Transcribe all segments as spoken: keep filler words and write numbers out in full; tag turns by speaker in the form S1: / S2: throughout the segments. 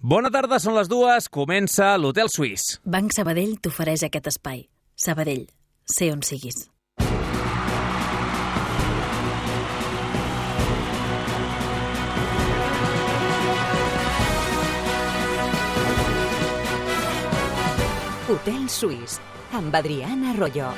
S1: Bona tarda, són les dues, comença l'Hotel Suís.
S2: Banc Sabadell t'ofereix aquest espai. Sabadell, sé on siguis.
S3: Hotel Suís, amb Adriana Arroyo.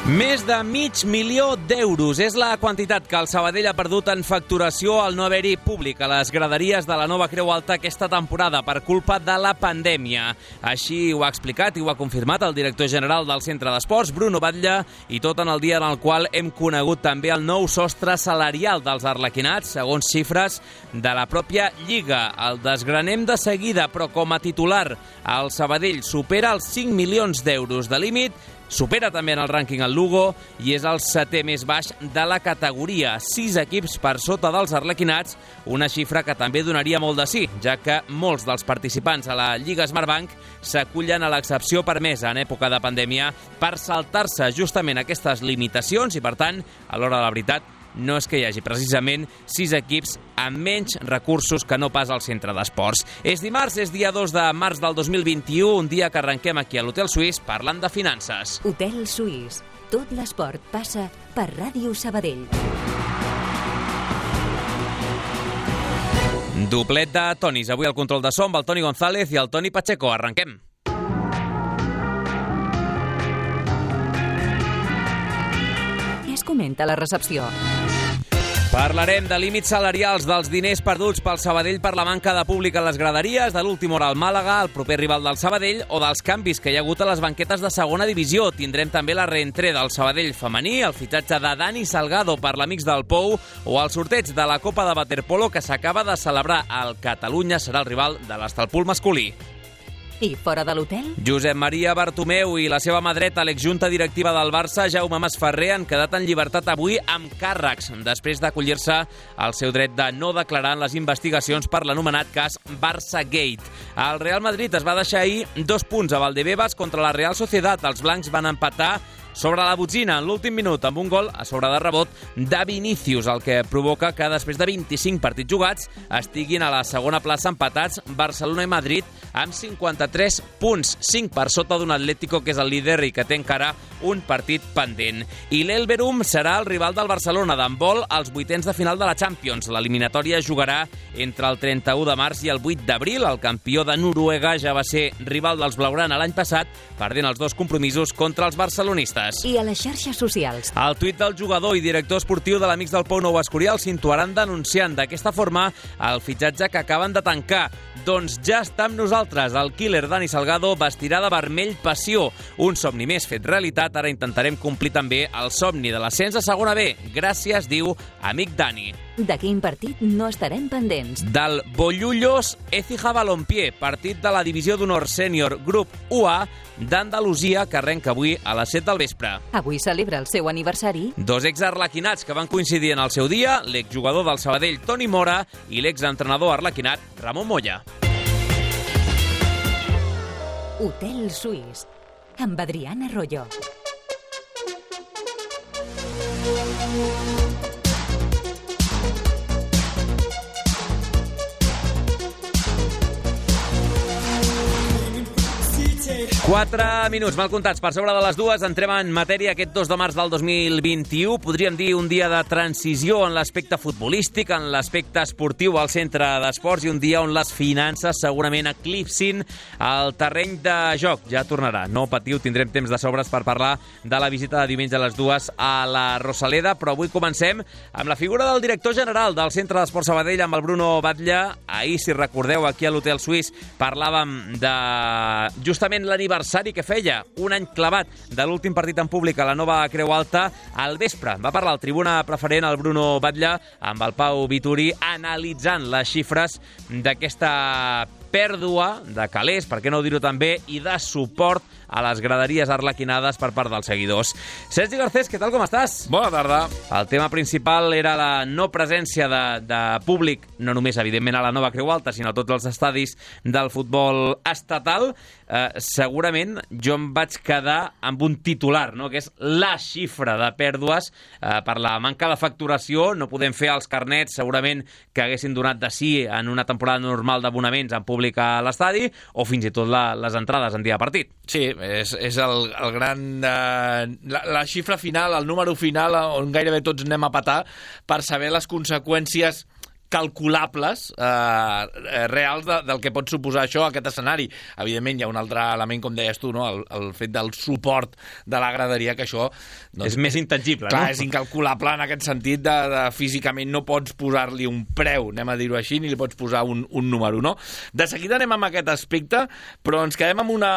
S1: Més de mig milió d'euros és la quantitat que el Sabadell ha perdut en facturació al no haver-hi públic a les graderies de la Nova Creu Alta aquesta temporada per culpa de la pandèmia. Així ho ha explicat i ho ha confirmat el director general del Centre d'Esports, Bruno Batlle, i tot en el dia en el qual hem conegut també el nou sostre salarial dels arlequinats, segons xifres de la pròpia Lliga. El desgranem de seguida, però com a titular, el Sabadell supera els cinc milions d'euros de límit, supera també en el rànquing el Lugo i és el setè més baix de la categoria. Sis equips per sota dels arlequinats, una xifra que també donaria molt de sí, ja que molts dels participants a la Lliga Smartbank s'acullen a l'excepció permesa en època de pandèmia per saltar-se justament aquestes limitacions i, per tant, a l'hora de la veritat, no és que hi hagi precisament sis equips amb menys recursos que no pas al Centre d'Esports. És dimarts, és dia dos de març del dos mil vint-i-u, un dia que arrenquem aquí a l'Hotel Suís parlant de finances.
S3: Hotel Suís. Tot l'esport passa per Ràdio Sabadell.
S1: Doblet de tonis. Avui al control de so amb el Toni González i el Toni Pacheco. Arrenquem.
S3: Què es comenta a la recepció?
S1: Parlarem de límits salarials, dels diners perduts pel Sabadell per la manca de públic a les graderies, de l'última hora al Màlaga, el proper rival del Sabadell, o dels canvis que hi ha hagut a les banquetes de segona divisió. Tindrem també la reentré del Sabadell femení, el fitxatge de Dani Salgado per l'Amics del Pou, o el sorteig de la Copa de Waterpolo que s'acaba de celebrar. El Catalunya serà el rival de l'Estalpul masculí.
S3: I fora de l'hotel?
S1: Josep Maria Bartomeu i la seva mà dreta, l'exjunta directiva del Barça, Jaume Masferrer, han quedat en llibertat avui amb càrrecs, després d'acollir-se al seu dret de no declarar en les investigacions per l'anomenat cas Barça Gate. El Real Madrid es va deixar ahir dos punts a Valdebebas contra la Real Sociedad. Els blancs van empatar sobre la botzina en l'últim minut amb un gol a sobre de rebot de Vinícius, el que provoca que després de vint-i-cinc partits jugats estiguin a la segona plaça empatats Barcelona i Madrid amb cinquanta-tres punts, cinc per sota d'un Atlético que és el líder i que té encara un partit pendent. I l'Elverum serà el rival del Barcelona d'handbol als vuitens de final de la Champions. L'eliminatòria jugarà entre el trenta-u de març i el vuit d'abril. El campió de Noruega ja va ser rival dels blaugrana l'any passat, perdent els dos compromisos contra els barcelonistes.
S3: I a les xarxes socials?
S1: El tuit del jugador i director esportiu de l'Amics del Pou Nou Escorial s'intuaran denunciant d'aquesta forma el fitxatge que acaben de tancar. Doncs ja està amb nosaltres. El killer Dani Salgado vestirà de vermell passió. Un somni més fet realitat. Ara intentarem complir també el somni de l'ascens a segona B. Gràcies, diu amic Dani.
S3: De quin partit no estarem pendents?
S1: Del Bollullos Écija Balompié, partit de la divisió d'honor sènior grup u A d'Andalusia, que arrenca avui a les set del vespre.
S3: Avui celebra el seu aniversari.
S1: Dos exarlequinats que van coincidir en el seu dia, l'exjugador del Sabadell Toni Mora i l'exentrenador arlequinat Ramon Moya.
S3: Hotel Suís, amb Adriana Arroyo.
S1: Quatre minuts mal comptats per sobre de les dues. Entrem en matèria aquest dos de març del dos mil vint-i-u. Podríem dir un dia de transició en l'aspecte futbolístic, en l'aspecte esportiu al Centre d'Esports i un dia on les finances segurament eclipsin el terreny de joc. Ja tornarà, no patiu, tindrem temps de sobres per parlar de la visita de diumenge a les dues a la Rosaleda, però avui comencem amb la figura del director general del Centre d'Esports Sabadell, amb el Bruno Batlle. Ahir, si recordeu, aquí a l'Hotel Suís parlàvem de justament l'aniversari que feia un any clavat de l'últim partit en públic a la Nova Creu Alta. Al vespre va parlar al tribuna preferent el Bruno Batlle amb el Pau Vituri analitzant les xifres d'aquesta pèrdua de calés, per què no dir-ho també, i de suport a les graderies arlequinades per part dels seguidors. Sergi Garcés, què tal, com estàs?
S4: Bona tarda.
S1: El tema principal era la no presència de, de públic, no només, evidentment, a la Nova Creu Alta, sinó a tots els estadis del futbol estatal. Eh, segurament jo em vaig quedar amb un titular, no?, que és la xifra de pèrdues eh, per la manca de facturació. No podem fer els carnets, segurament, que haguessin donat de sí en una temporada normal d'abonaments en públic a l'estadi, o fins i tot la, les entrades en dia de partit.
S4: Sí, és, és el, el gran... Eh, la, la xifra final, el número final, on gairebé tots anem a petar per saber les conseqüències calculables, eh, reals de, del que pot suposar això, aquest escenari. Evidentment, hi ha un altre element, com deies tu, no? el, el fet del suport de la graderia, que això...
S1: Doncs, és més intangible,
S4: clar,
S1: no?
S4: És incalculable en aquest sentit de, de físicament no pots posar-li un preu, anem a dir-ho així, ni li pots posar un, un número, no? De seguida anem amb aquest aspecte, però ens quedem amb una,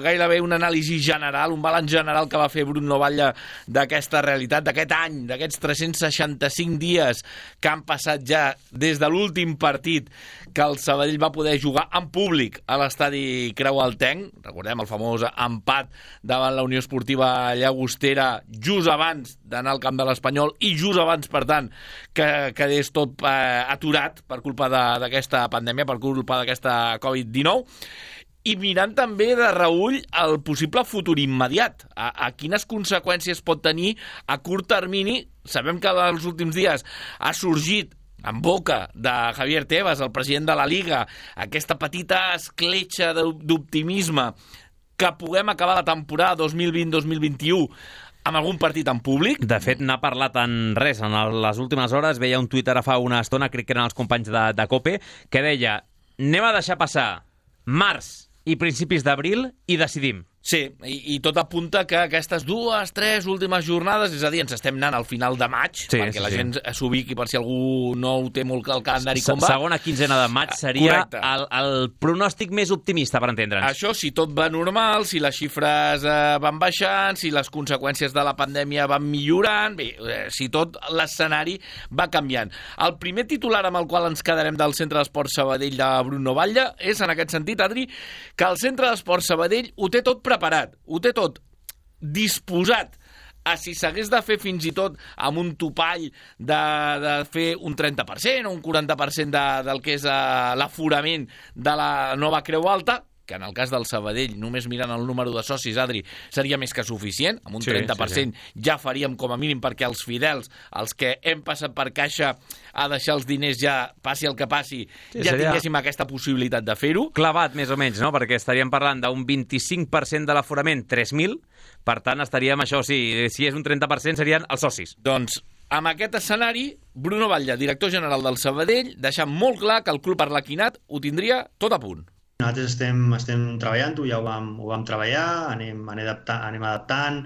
S4: gairebé un anàlisi general, un balanç general que va fer Bruno Batlle d'aquesta realitat, d'aquest any, d'aquests tres-cents seixanta-cinc dies que han passat ja des de l'últim partit que el Sabadell va poder jugar en públic a l'estadi Creualtenc. Recordem el famós empat davant la Unió Esportiva Llagostera just abans d'anar al camp de l'Espanyol i just abans, per tant, que quedés tot eh, aturat per culpa d'aquesta pandèmia, per culpa d'aquesta covid dinou. I mirant també de reüll el possible futur immediat. A, a quines conseqüències pot tenir a curt termini. Sabem que els últims dies ha sorgit en boca de Javier Tebas, el president de la Liga, aquesta petita escletxa d'optimisme que puguem acabar la temporada dos mil vint dos mil vint-i-u amb algun partit en públic.
S1: De fet, n'ha parlat en res. En les últimes hores veia un Twitter fa una estona, crec que eren els companys de, de COPE, que deia: anem a deixar passar març i principis d'abril i decidim.
S4: Sí, i, i tot apunta que aquestes dues, tres últimes jornades, és a dir, ens estem anant al final de maig, sí, perquè sí, la sí. gent s'ubiqui per si algú no ho té molt el calendari com va.
S1: Segona quinzena de maig seria el, el pronòstic més optimista, per entendre'ns.
S4: Això, si tot va normal, si les xifres eh, van baixant, si les conseqüències de la pandèmia van millorant, bé, eh, si tot l'escenari va canviant. El primer titular amb el qual ens quedarem del Centre d'Esports Sabadell de Bruno Batlle és, en aquest sentit, Adri, que el Centre d'Esports Sabadell ho té tot preparat, ho té tot disposat a, si s'hagués de fer fins i tot amb un topall de, de fer un trenta per cent o un quaranta per cent de, del que és uh, l'aforament de la Nova Creu Alta, que en el cas del Sabadell, només mirant el número de socis, Adri, seria més que suficient. Amb un sí, trenta per cent sí, sí. ja faríem com a mínim perquè els fidels, els que hem passat per caixa a deixar els diners, ja passi el que passi, sí, ja seria... tinguéssim aquesta possibilitat de fer-ho.
S1: Clavat, més o menys, no? Perquè estaríem parlant d'un vint-i-cinc per cent de l'aforament, tres mil, per tant estaríem, això sí, si és un trenta per cent serien els socis.
S4: Doncs amb aquest escenari, Bruno Batlle, director general del Sabadell, deixa molt clar que el club arlequinat ho tindria tot a punt.
S5: Nosaltres estem, estem treballant-ho, ja ho vam, ho vam treballar, anem, anem, adaptant, anem adaptant.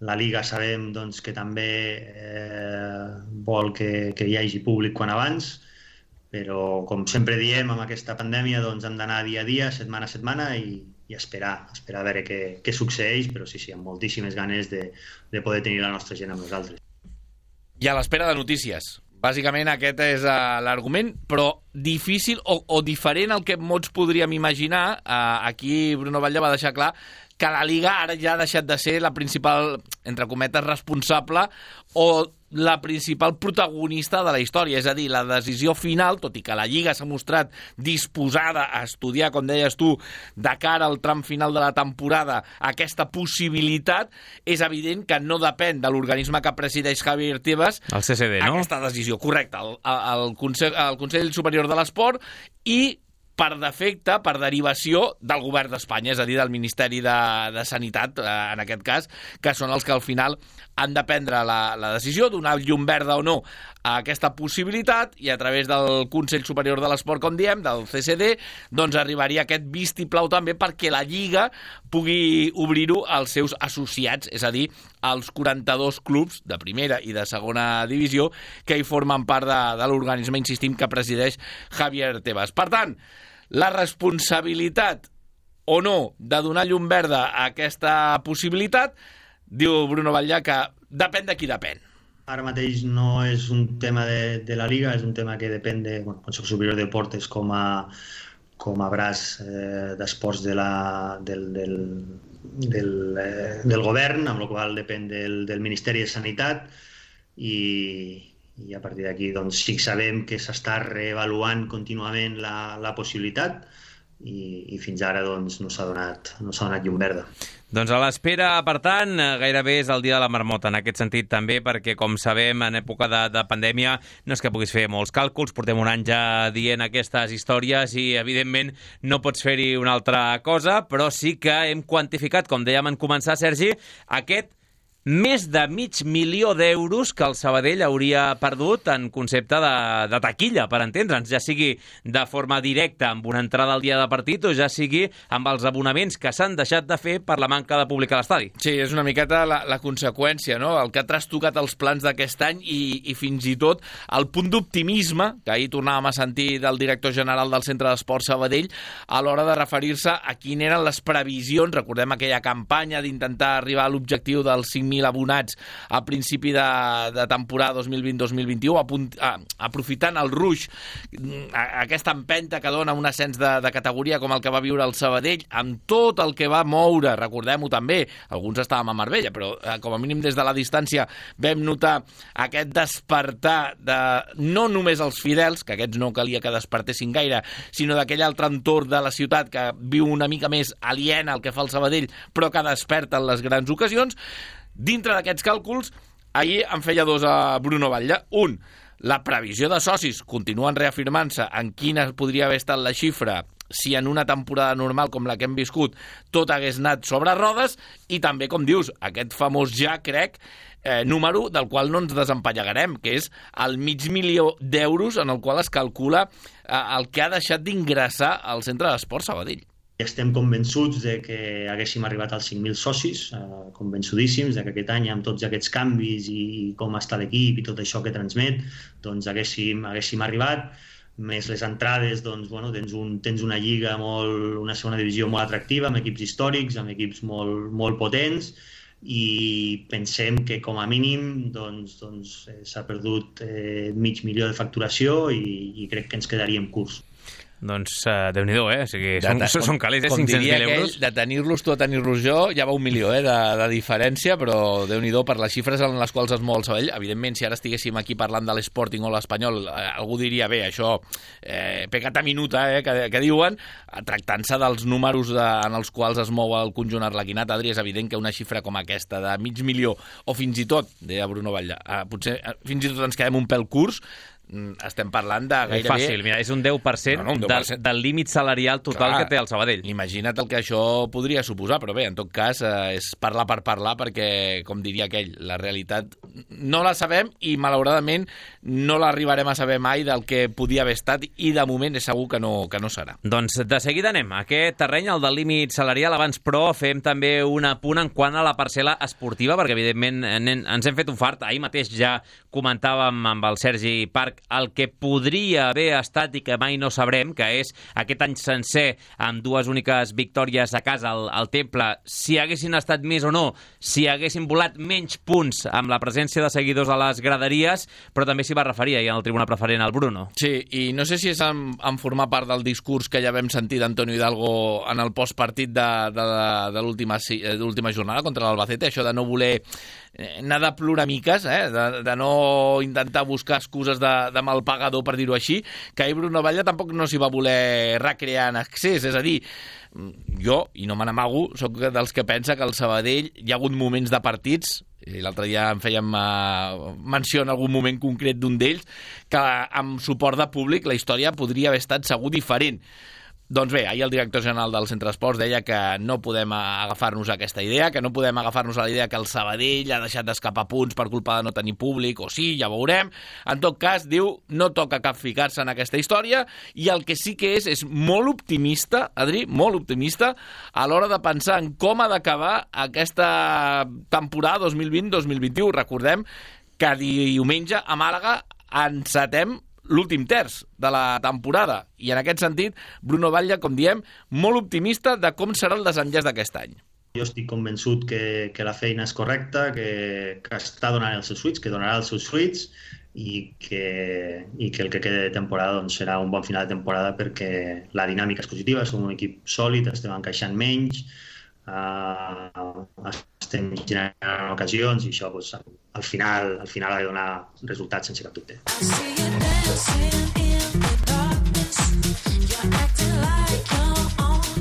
S5: La Liga sabem doncs, que també eh, vol que, que hi hagi públic quan abans, però com sempre diem, amb aquesta pandèmia doncs, hem d'anar dia a dia, setmana a setmana i, i esperar, esperar a veure què, què succeeix, però sí, sí, amb moltíssimes ganes de, de poder tenir la nostra gent amb nosaltres.
S4: I a l'espera de notícies. Bàsicament aquest és uh, l'argument, però difícil o, o diferent al que molts podríem imaginar. Uh, aquí Bruno Batlle va deixar clar que la Liga ara ja ha deixat de ser la principal, entre cometes, responsable o la principal protagonista de la història. És a dir, la decisió final, tot i que la Lliga s'ha mostrat disposada a estudiar, com deies tu, de cara al tram final de la temporada, aquesta possibilitat, és evident que no depèn de l'organisme que presideix Javier Tebas.
S1: El C C D, no?
S4: Aquesta decisió, correcte. El, el, Consell, el Consell Superior de l'Esport i per defecte, per derivació del govern d'Espanya, és a dir, del Ministeri de, de Sanitat, eh, en aquest cas, que són els que al final han de prendre la, la decisió, donar llum verda o no a aquesta possibilitat, i a través del Consell Superior de l'Esport, com diem, del C C D, doncs arribaria aquest vistiplau també perquè la Lliga pugui obrir-ho als seus associats, és a dir, als quaranta-dos clubs de primera i de segona divisió que hi formen part de, de l'organisme, insistim, que presideix Javier Tebas. Per tant, la responsabilitat o no de donar llum verda a aquesta possibilitat, diu Bruno Batlle que depèn de qui depèn.
S5: Ara mateix no és un tema de, de la Liga, és un tema que depèn del bueno, Consell Superior de Deportes com a, com a braç eh, d'esports de la, del, del, del, eh, del govern, amb la qual depèn del, del Ministeri de Sanitat, i, i a partir d'aquí doncs, sí que sabem que s'està reavaluant contínuament la, la possibilitat, i, i fins ara doncs, no s'ha donat, no s'ha donat llum verda.
S1: Doncs a l'espera, per tant, gairebé és el dia de la marmota, en aquest sentit també, perquè, com sabem, en època de, de pandèmia no és que puguis fer molts càlculs, portem un any ja dient aquestes històries i, evidentment, no pots fer-hi una altra cosa, però sí que hem quantificat, com dèiem en començar, Sergi, aquest més de mig milió d'euros que el Sabadell hauria perdut en concepte de, de taquilla, per entendre'ns, ja sigui de forma directa amb una entrada al dia de partit o ja sigui amb els abonaments que s'han deixat de fer per la manca de públic a l'estadi.
S4: Sí, és una miqueta la, la conseqüència, no? El que ha trastocat els plans d'aquest any i, i fins i tot el punt d'optimisme que ahir tornàvem a sentir del director general del Centre d'Esport Sabadell a l'hora de referir-se a quines eren les previsions. Recordem aquella campanya d'intentar arribar a l'objectiu dels cinc mil abonats a principi de, de temporada dos mil vint dos mil vint-i-u, aprofitant el ruix, aquesta empenta que dona un ascens de, de categoria com el que va viure el Sabadell, amb tot el que va moure, recordem-ho també, alguns estàvem a Marbella, però eh, com a mínim des de la distància vam notar aquest despertar de no només els fidels, que aquests no calia que despertessin gaire, sinó d'aquell altre entorn de la ciutat que viu una mica més aliena al que fa el Sabadell, però que desperta en les grans ocasions. Dintre d'aquests càlculs, ahir en feia dos a Bruno Batlle. Un, la previsió de socis continuen reafirmant-se en quina podria haver estat la xifra si en una temporada normal com la que hem viscut tot hagués anat sobre rodes, i també, com dius, aquest famós ja, crec, eh, número del qual no ens desempallegarem, que és el mig milió d'euros en el qual es calcula eh, el que ha deixat d'ingressar al Centre d'Esport Sabadell.
S5: Estem convençuts de que haguéssim arribat als cinc mil socis, eh, convençudíssims de que aquest any, amb tots aquests canvis i com està l'equip i tot això que transmet, doncs haguéssim, haguéssim arribat. Més les entrades, doncs, bueno, tens, un, tens una lliga, molt, una segona divisió molt atractiva, amb equips històrics, amb equips molt, molt potents, i pensem que com a mínim doncs, doncs, eh, s'ha perdut eh, mig milió de facturació i, i crec que ens quedaríem curts.
S1: Doncs uh, Déu-n'hi-do, eh? O sigui, són,
S4: de,
S1: són calés, eh?
S4: Com
S1: cinc-cents mil
S4: diria
S1: euros.
S4: Aquell, de tenir-los tu a tenir-los jo, ja va un milió eh, de, de diferència, però Déu-n'hi-do per les xifres en les quals es mou el Sabadell. Evidentment, si ara estiguéssim aquí parlant de l'Sporting o l'Espanyol, eh, algú diria, bé, això, eh, pecata minuta, eh, que, que diuen, tractant-se dels números de, en els quals es mou el conjunt arlequinat. Adri, és evident que una xifra com aquesta, de mig milió, o fins i tot, deia Bruno Batlle, eh, potser eh, fins i tot ens quedem un pèl curts, estem parlant de gairebé...
S1: Fàcil, mira, és un deu per cent, no, no, un deu per cent. Del, del límit salarial total. Clar, que té el Sabadell.
S4: Imagina't el que això podria suposar, però bé, en tot cas, eh, és parlar per parlar, perquè, com diria aquell, la realitat no la sabem i, malauradament, no l'arribarem a saber mai del que podia haver estat, i de moment és segur que no, que no serà.
S1: Doncs de seguida anem a aquest terreny, el del límit salarial. Abans, però, fem també un apunt en quant a la parcel·la esportiva, perquè, evidentment, ens hem fet un fart. Ahir mateix ja comentàvem amb el Sergi Parc el que podria haver estat i que mai no sabrem, que és aquest any sencer amb dues úniques victòries a casa al, al Temple, si haguessin estat més o no, si haguessin volat menys punts amb la presència de seguidors a les graderies, però també s'hi va referir ahir en el tribuna preferent al Bruno.
S4: Sí, i no sé si és en, en formar part del discurs que ja vam sentir d'Antonio Hidalgo en el postpartit de, de, de l'última jornada contra l'Albacete, això de no voler anar de ploramiques, eh? de, de no intentar buscar excuses de, de mal pagador, per dir-ho així, que ahir Bruno Batlle tampoc no s'hi va voler recrear en excés. És a dir, jo, i no me n'amago, soc dels que pensa que el Sabadell hi ha hagut moments de partits, i l'altre dia en fèiem uh, menció en algun moment concret d'un d'ells, que amb suport de públic la història podria haver estat segur diferent. Doncs bé, ahir el director general del Centre d'Esports deia que no podem agafar-nos a aquesta idea, que no podem agafar-nos a la idea que el Sabadell ha deixat d'escapar punts per culpa de no tenir públic, o sí, ja veurem. En tot cas, diu, no toca cap ficar-se en aquesta història, i el que sí que és, és molt optimista, Adri, molt optimista, a l'hora de pensar en com ha d'acabar aquesta temporada dos mil vint dos mil vint-i-u. Recordem que diumenge a Màlaga encetem l'últim terç de la temporada, i en aquest sentit Bruno Batlle, com diem, molt optimista de com serà el desenllaç d'aquest any.
S5: Jo estic convençut que, que la feina és correcta, que, que està donant els seus fruits, que donarà els seus fruits, i que, i que el que queda de temporada doncs, serà un bon final de temporada, perquè la dinàmica és positiva, som un equip sòlid, estem encaixant menys, uh, estem generant ocasions i això doncs, al final al final ha de donar resultats sense cap dubte.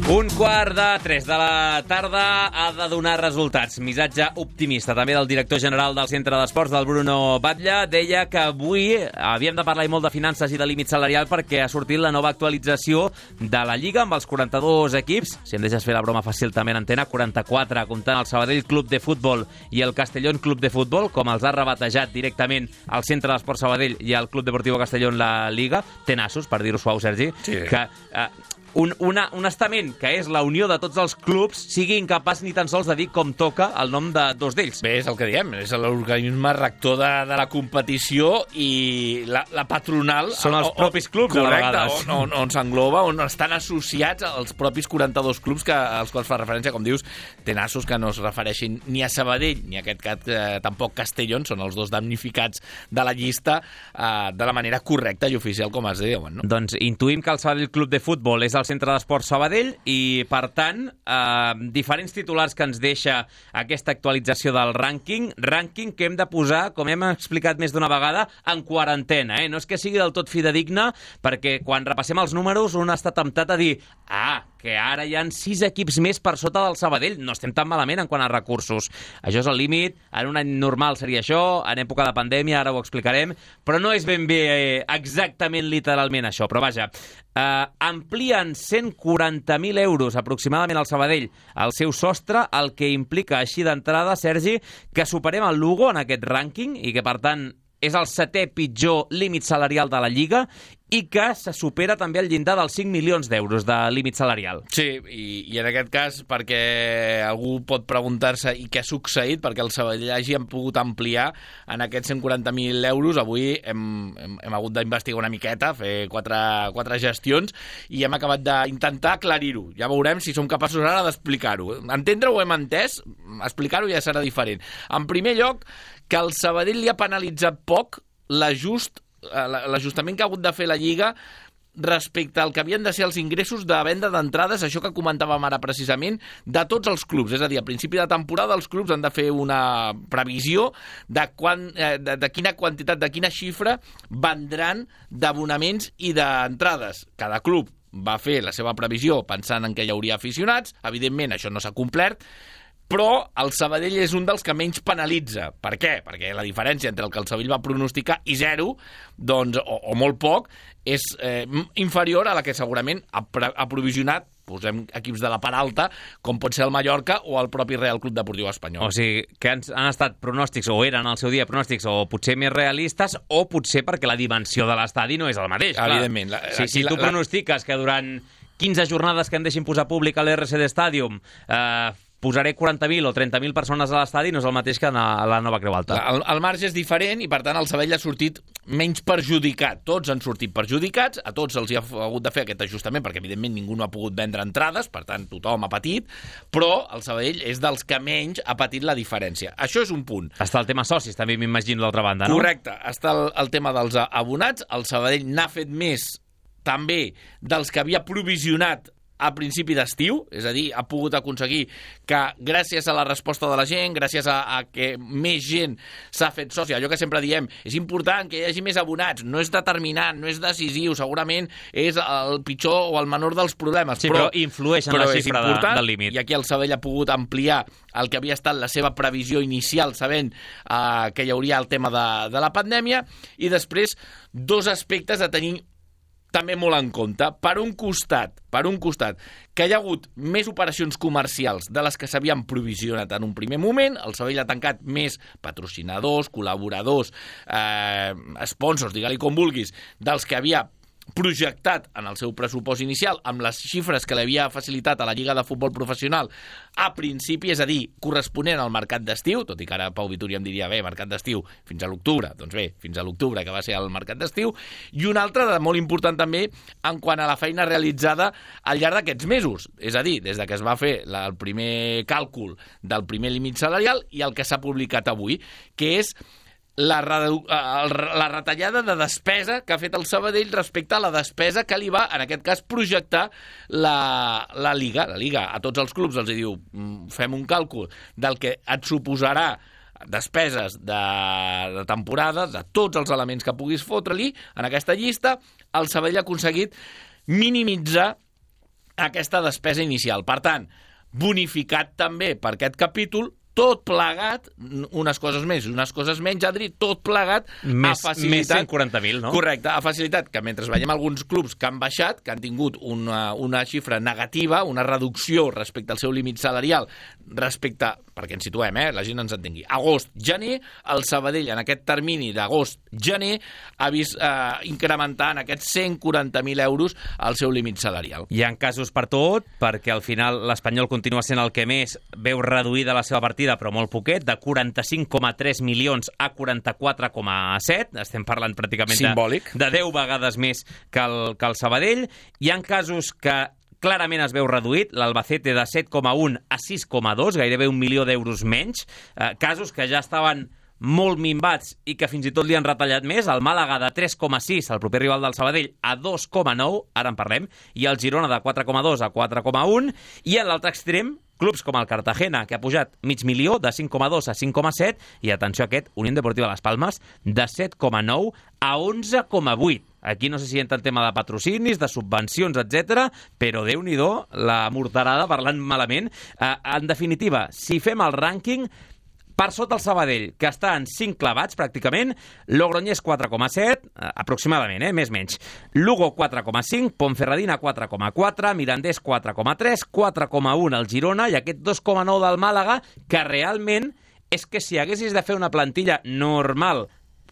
S1: Un quart de tres de la tarda ha de donar resultats. Missatge optimista també del director general del Centre d'Esports, del Bruno Batlle. Deia que avui havíem de parlar molt de finances i de límit salarial perquè ha sortit la nova actualització de la Lliga amb els quaranta-dos equips. Si em deixes fer la broma fàcil també en antena, quaranta-quatre, comptant el Sabadell Club de Futbol i el Castellón Club de Futbol, com els ha rebatejat directament el Centre d'Esports Sabadell i el Club Deportivo Castellón la Liga. Té nassos, per dir-ho suau, Sergi,
S4: sí.
S1: que... Eh, Un, una, un estament que és la unió de tots els clubs sigui incapaç ni tan sols de dir com toca el nom de dos d'ells.
S4: Bé, és el que diem, és l'organisme rector de, de la competició i la, la patronal...
S1: Són els propis clubs,
S4: correcte,
S1: a vegades.
S4: On, on, on s'engloba, on estan associats als propis quaranta-dos clubs que, als quals fa referència, com dius, tenassos que no es refereixin ni a Sabadell ni a aquest cas eh, tampoc Castellón, són els dos damnificats de la llista eh, de la manera correcta i oficial, com es diuen, no?
S1: Doncs intuïm que el Sabadell Club de Futbol és el Centre d'Esports Sabadell i, per tant, eh, diferents titulars que ens deixa aquesta actualització del rànquing, rànquing que hem de posar, com hem explicat més d'una vegada, en quarantena. Eh? No és que sigui del tot fidedigna, perquè quan repassem els números un està temptat a dir ah, que ara hi ha sis equips més per sota del Sabadell. No estem tan malament en quant a recursos. Això és el límit. En un any normal seria això, en època de pandèmia, ara ho explicarem, però no és ben bé eh, exactament literalment això. Però vaja, eh, amplien cent quaranta mil euros aproximadament al Sabadell el seu sostre, el que implica així d'entrada, Sergi, que superem el Lugo en aquest rànquing i que, per tant, és el setè pitjor límit salarial de la Lliga i que se supera també el llindar dels cinc milions d'euros de límit salarial.
S4: Sí, i, i en aquest cas, perquè algú pot preguntar-se i què ha succeït, perquè el Sabadell hagi pogut ampliar en aquests cent quaranta mil euros. Avui hem, hem, hem hagut d'investigar una miqueta, fer quatre, quatre gestions, i hem acabat d'intentar aclarir-ho. Ja veurem si som capaços ara d'explicar-ho. Entendre-ho hem entès, explicar-ho ja serà diferent. En primer lloc, que el Sabadell li ha penalitzat poc l'ajust l'ajustament que ha hagut de fer la Lliga respecte al que havien de ser els ingressos de venda d'entrades, això que comentàvem ara precisament, de tots els clubs. És a dir, a principi de temporada els clubs han de fer una previsió de, quan, de, de quina quantitat, de quina xifra vendran d'abonaments i d'entrades. Cada club va fer la seva previsió pensant en que hi hauria aficionats. Evidentment, això no s'ha complert, però el Sabadell és un dels que menys penalitza. Per què? Perquè la diferència entre el que el Sabadell va pronosticar i zero, doncs, o, o molt poc, és eh, inferior a la que segurament ha, ha provisionat, posem equips de la part alta, com pot ser el Mallorca o el propi Real Club Deportiu Espanyol.
S1: O sigui, que han, han estat pronòstics, o eren al seu dia pronòstics, o potser més realistes, o potser perquè la dimensió de l'estadi no és el mateix.
S4: Evidentment. La,
S1: si, si tu
S4: la,
S1: pronostiques que durant quinze jornades que em deixin posar públic a l'R C D Stadium eh, posaré quaranta mil o trenta mil persones a l'estadi, no és el mateix que a la Nova Creu Alta.
S4: El, el marge és diferent i, per tant, el Sabadell ha sortit menys perjudicat. Tots han sortit perjudicats, a tots els hi ha hagut de fer aquest ajustament, perquè, evidentment, ningú no ha pogut vendre entrades, per tant, tothom ha patit, però el Sabadell és dels que menys ha patit la diferència. Això és un punt.
S1: Està el tema socis, també m'imagino, d'altra banda, no?
S4: Correcte. Està el, el tema dels abonats. El Sabadell n'ha fet més, també, dels que havia provisionat a principi d'estiu, és a dir, ha pogut aconseguir que gràcies a la resposta de la gent, gràcies a, a que més gent s'ha fet soci, allò que sempre diem, és important que hi hagi més abonats, no és determinant, no és decisiu, segurament és el pitjor o el menor dels problemes,
S1: sí, però, però influeix en
S4: però
S1: la xifra de, del límit.
S4: I aquí el Sabadell ha pogut ampliar el que havia estat la seva previsió inicial, sabent eh, que hi hauria el tema de, de la pandèmia, i després dos aspectes a tenir també molt en compte. Per un costat, per un costat, que hi ha hagut més operacions comercials de les que s'havien provisionat en un primer moment. El Sabadell ha tancat més patrocinadors, col·laboradors, eh, sponsors, digue-li com vulguis, dels que havia projectat en el seu pressupost inicial amb les xifres que li havia facilitat a la Lliga de Futbol Professional a principi, és a dir, corresponent al mercat d'estiu, tot i que ara Pau Vituri em diria, bé, mercat d'estiu fins a l'octubre, doncs bé, fins a l'octubre que va ser el mercat d'estiu, i un altre de molt important també en quant a la feina realitzada al llarg d'aquests mesos, és a dir, des de que es va fer la, el primer càlcul del primer límit salarial i el que s'ha publicat avui, que és la, la retallada de despesa que ha fet el Sabadell respecte a la despesa que li va, en aquest cas, projectar la, la Lliga. La Lliga a tots els clubs els diu, fem un càlcul del que et suposarà despeses de, de temporada, de tots els elements que puguis fotre-li en aquesta llista. El Sabadell ha aconseguit minimitzar aquesta despesa inicial. Per tant, bonificat també per aquest capítol, tot plegat, unes coses més i unes coses menys, Adri, tot plegat
S1: més,
S4: ha facilitat...
S1: Més cent quaranta mil, no?
S4: Correcte, ha facilitat que mentre veiem alguns clubs que han baixat, que han tingut una, una xifra negativa, una reducció respecte al seu límit salarial, respecte, perquè ens situem, eh, la gent ens entengui, agost-gener, el Sabadell en aquest termini d'agost-gener ha vist eh, incrementar en aquests cent quaranta mil euros el seu límit salarial.
S1: Hi ha casos per tot, perquè al final l'Espanyol continua sent el que més veu reduïda la seva partida, però molt poquet, de quaranta-cinc coma tres milions a quaranta-quatre coma set. Estem parlant pràcticament de, de deu vegades més que el, que el Sabadell. Hi ha casos que clarament es veu reduït, l'Albacete de set coma un a sis coma dos, gairebé un milió d'euros menys. Eh, casos que ja estaven molt minvats i que fins i tot li han retallat més, el Màlaga de tres coma sis, el proper rival del Sabadell, a dos coma nou, ara en parlem, i el Girona de quatre coma dos a quatre coma un, i en l'altre extrem, clubs com el Cartagena, que ha pujat mig milió, de cinc coma dos a cinc coma set, i atenció a aquest, Unión Deportiva Las Palmas, de set coma nou a onze coma vuit. Aquí no sé si entra el tema de patrocinis, de subvencions, etcètera, però Déu-n'hi-do, la morterada, parlant malament. Eh, en definitiva, si fem el rànquing, per sota el Sabadell, que està en cinc clavats, pràcticament, Logroñés quatre coma set, eh, aproximadament, eh, més menys. Lugo quatre coma cinc, Ponferradina quatre coma quatre, Mirandés quatre coma tres, quatre coma un el Girona i aquest dos coma nou del Màlaga, que realment és que si haguessis de fer una plantilla normal,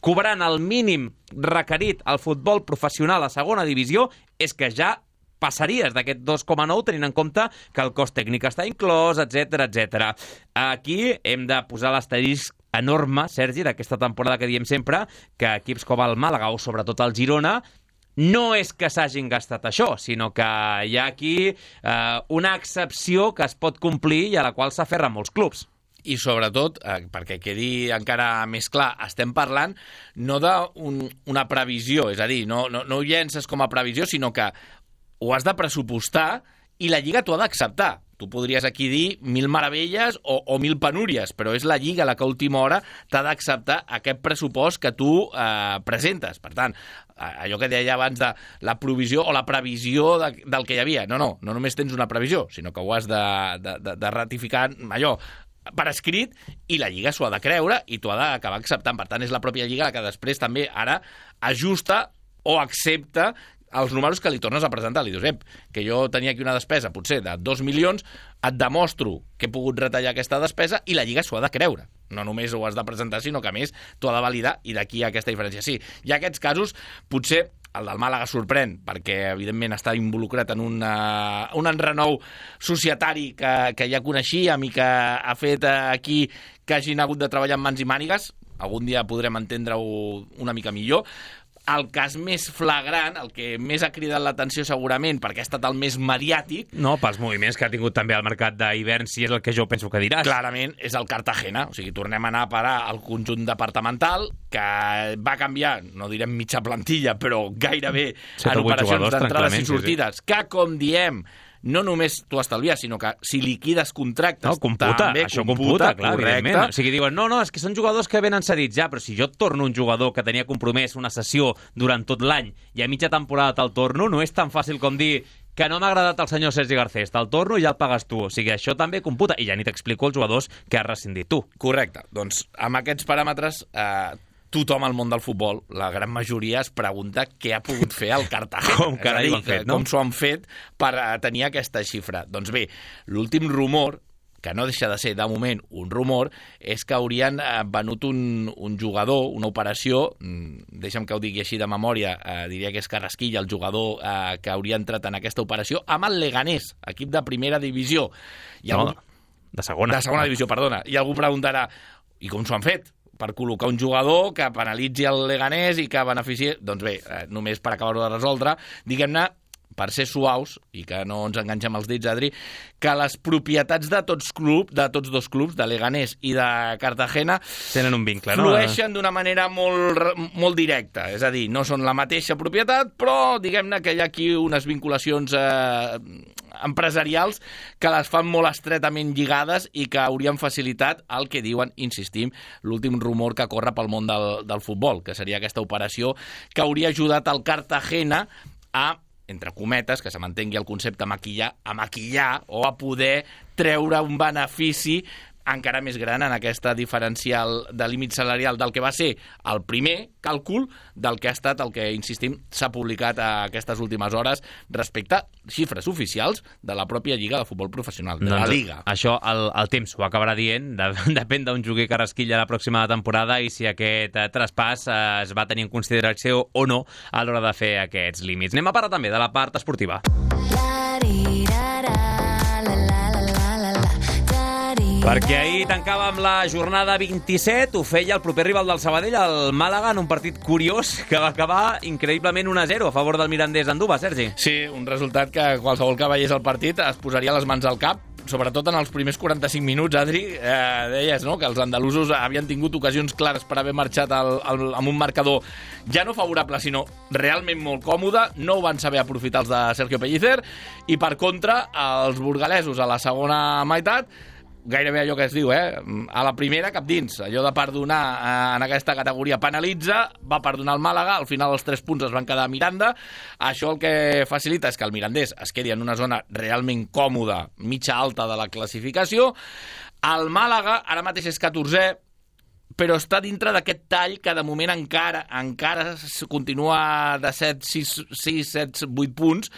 S1: cobrant el mínim requerit al futbol professional a segona divisió, és que ja passaries d'aquest dos coma nou tenint en compte que el cost tècnic està inclòs, etcètera, etcètera. Aquí hem de posar l'asterisc enorme, Sergi, d'aquesta temporada que diem sempre, que equips com el Màlaga o sobretot el Girona no és que s'hagin gastat això, sinó que hi ha aquí eh, una excepció que es pot complir i a la qual s'aferren molts clubs.
S4: I sobretot, eh, perquè quedi encara més clar, estem parlant no d'una un, previsió, és a dir, no, no, no ho llences com a previsió, sinó que ho has de pressupostar i la Lliga t'ho ha d'acceptar. Tu podries aquí dir mil meravelles o, o mil penúries, però és la Lliga la que a última hora t'ha d'acceptar aquest pressupost que tu eh, presentes. Per tant, allò que deia abans de la provisió o la previsió de, del que hi havia. No, no, no només tens una previsió, sinó que ho has de, de, de, de ratificar allò per escrit i la Lliga s'ho ha de creure i t'ho ha d'acabar acceptant. Per tant, és la pròpia Lliga la que després també ara ajusta o accepta els números que li tornes a presentar. Li dius, ep, que jo tenia aquí una despesa potser de dos milions, et demostro que he pogut retallar aquesta despesa i la Lliga s'ho ha de creure. No només ho has de presentar, sinó que a més t'ho ha de validar i d'aquí hi ha aquesta diferència. Sí, hi ha aquests casos, potser el del Màlaga sorprèn, perquè evidentment està involucrat en una, un enrenou societari que, que ja coneixíem i que ha fet aquí que hagin hagut de treballar amb mans i mànigues. Algun dia podrem entendre-ho una mica millor. El cas més flagrant, el que més ha cridat l'atenció segurament, perquè ha estat el més mediàtic...
S1: No, pels moviments que ha tingut també al mercat d'hivern, si és el que jo penso que diràs.
S4: Clarament, és el Cartagena. O sigui, tornem a anar a parar al conjunt departamental, que va canviar, no direm mitja plantilla, però gairebé en operacions d'entrades i sortides, sí, sí. que, com diem, no només tu estalvies, sinó que si liquides contractes...
S1: No, computa, també això computa, computa clar, evidentment. O sigui, diuen, no, no, és que són jugadors que venen cedits ja, però si jo et torno un jugador que tenia compromès una sessió durant tot l'any i a mitja temporada te'l torno, no és tan fàcil com dir que no m'ha agradat el senyor Sergi Garcés, te'l torno i ja el pagues tu. O sigui, això també computa. I ja ni t'explico els jugadors que has rescindit tu.
S4: Correcte. Doncs amb aquests paràmetres... Eh, tothom al món del futbol, la gran majoria es pregunta què ha pogut fer el Cartagena.
S1: Com carai ho han fet, no?
S4: Com s'ho han fet per tenir aquesta xifra. Doncs bé, l'últim rumor, que no deixa de ser, de moment, un rumor, és que haurien venut un, un jugador, una operació, deixa'm que ho digui així de memòria, eh, diria que és Carrasquilla, el jugador eh, que hauria entrat en aquesta operació, amb el Leganés, equip de primera divisió. I
S1: no,
S4: algú...
S1: de segona.
S4: De segona divisió, perdona. I algú preguntarà, i com s'ho han fet? Per col·locar un jugador que penalitzi el Leganés i que benefici... Doncs bé, eh, només per acabar-ho de resoldre, diguem-ne, per ser suaus, i que no ens enganxem els dits, Adri, que les propietats de tots club, de tots dos clubs, de Leganés i de Cartagena,
S1: tenen un vincle, no?
S4: Flueixen d'una manera molt, molt directa. És a dir, no són la mateixa propietat, però diguem-ne que hi ha aquí unes vinculacions eh, empresarials que les fan molt estretament lligades i que haurien facilitat el que diuen, insistim, l'últim rumor que corre pel món del, del futbol, que seria aquesta operació que hauria ajudat el Cartagena a, entre cometes, que se mantengui el concepte maquillar, a maquillar o a poder treure un benefici encara més gran en aquesta diferencial de límit salarial del que va ser el primer càlcul del que ha estat el que, insistim, s'ha publicat a aquestes últimes hores respecte a xifres oficials de la pròpia Lliga de Futbol Professional, de
S1: doncs
S4: la Liga.
S1: Això el, el temps ho acabarà dient, de, depèn d'un juguer que rasquilla la pròxima temporada i si aquest eh, traspàs eh, es va tenir en consideració o no a l'hora de fer aquests límits. Anem a parlar també de la part esportiva. Perquè ahir tancàvem la jornada vint-i-set, ho feia el proper rival del Sabadell, el Màlaga, en un partit curiós que va acabar increïblement un a zero a favor del Mirandés d'Anduba, Sergi.
S4: Sí, un resultat que qualsevol que veiés el partit es posaria les mans al cap, sobretot en els primers quaranta-cinc minuts, Adri, eh, deies, no?, que els andalusos havien tingut ocasions clares per haver marxat al, al, amb un marcador ja no favorable, sinó realment molt còmode, no ho van saber aprofitar els de Sergio Pellicer, i per contra, els burgalesos a la segona meitat, gairebé allò que es diu, eh? A la primera cap dins, allò de perdonar eh, en aquesta categoria penalitza, va perdonar el Màlaga, al final els tres punts es van quedar a Miranda, això el que facilita és que el Mirandés es quedi en una zona realment còmoda, mitja alta de la classificació, el Màlaga ara mateix és catorzè, però està dintre d'aquest tall que de moment encara encara continua de set, sis, set, vuit punts,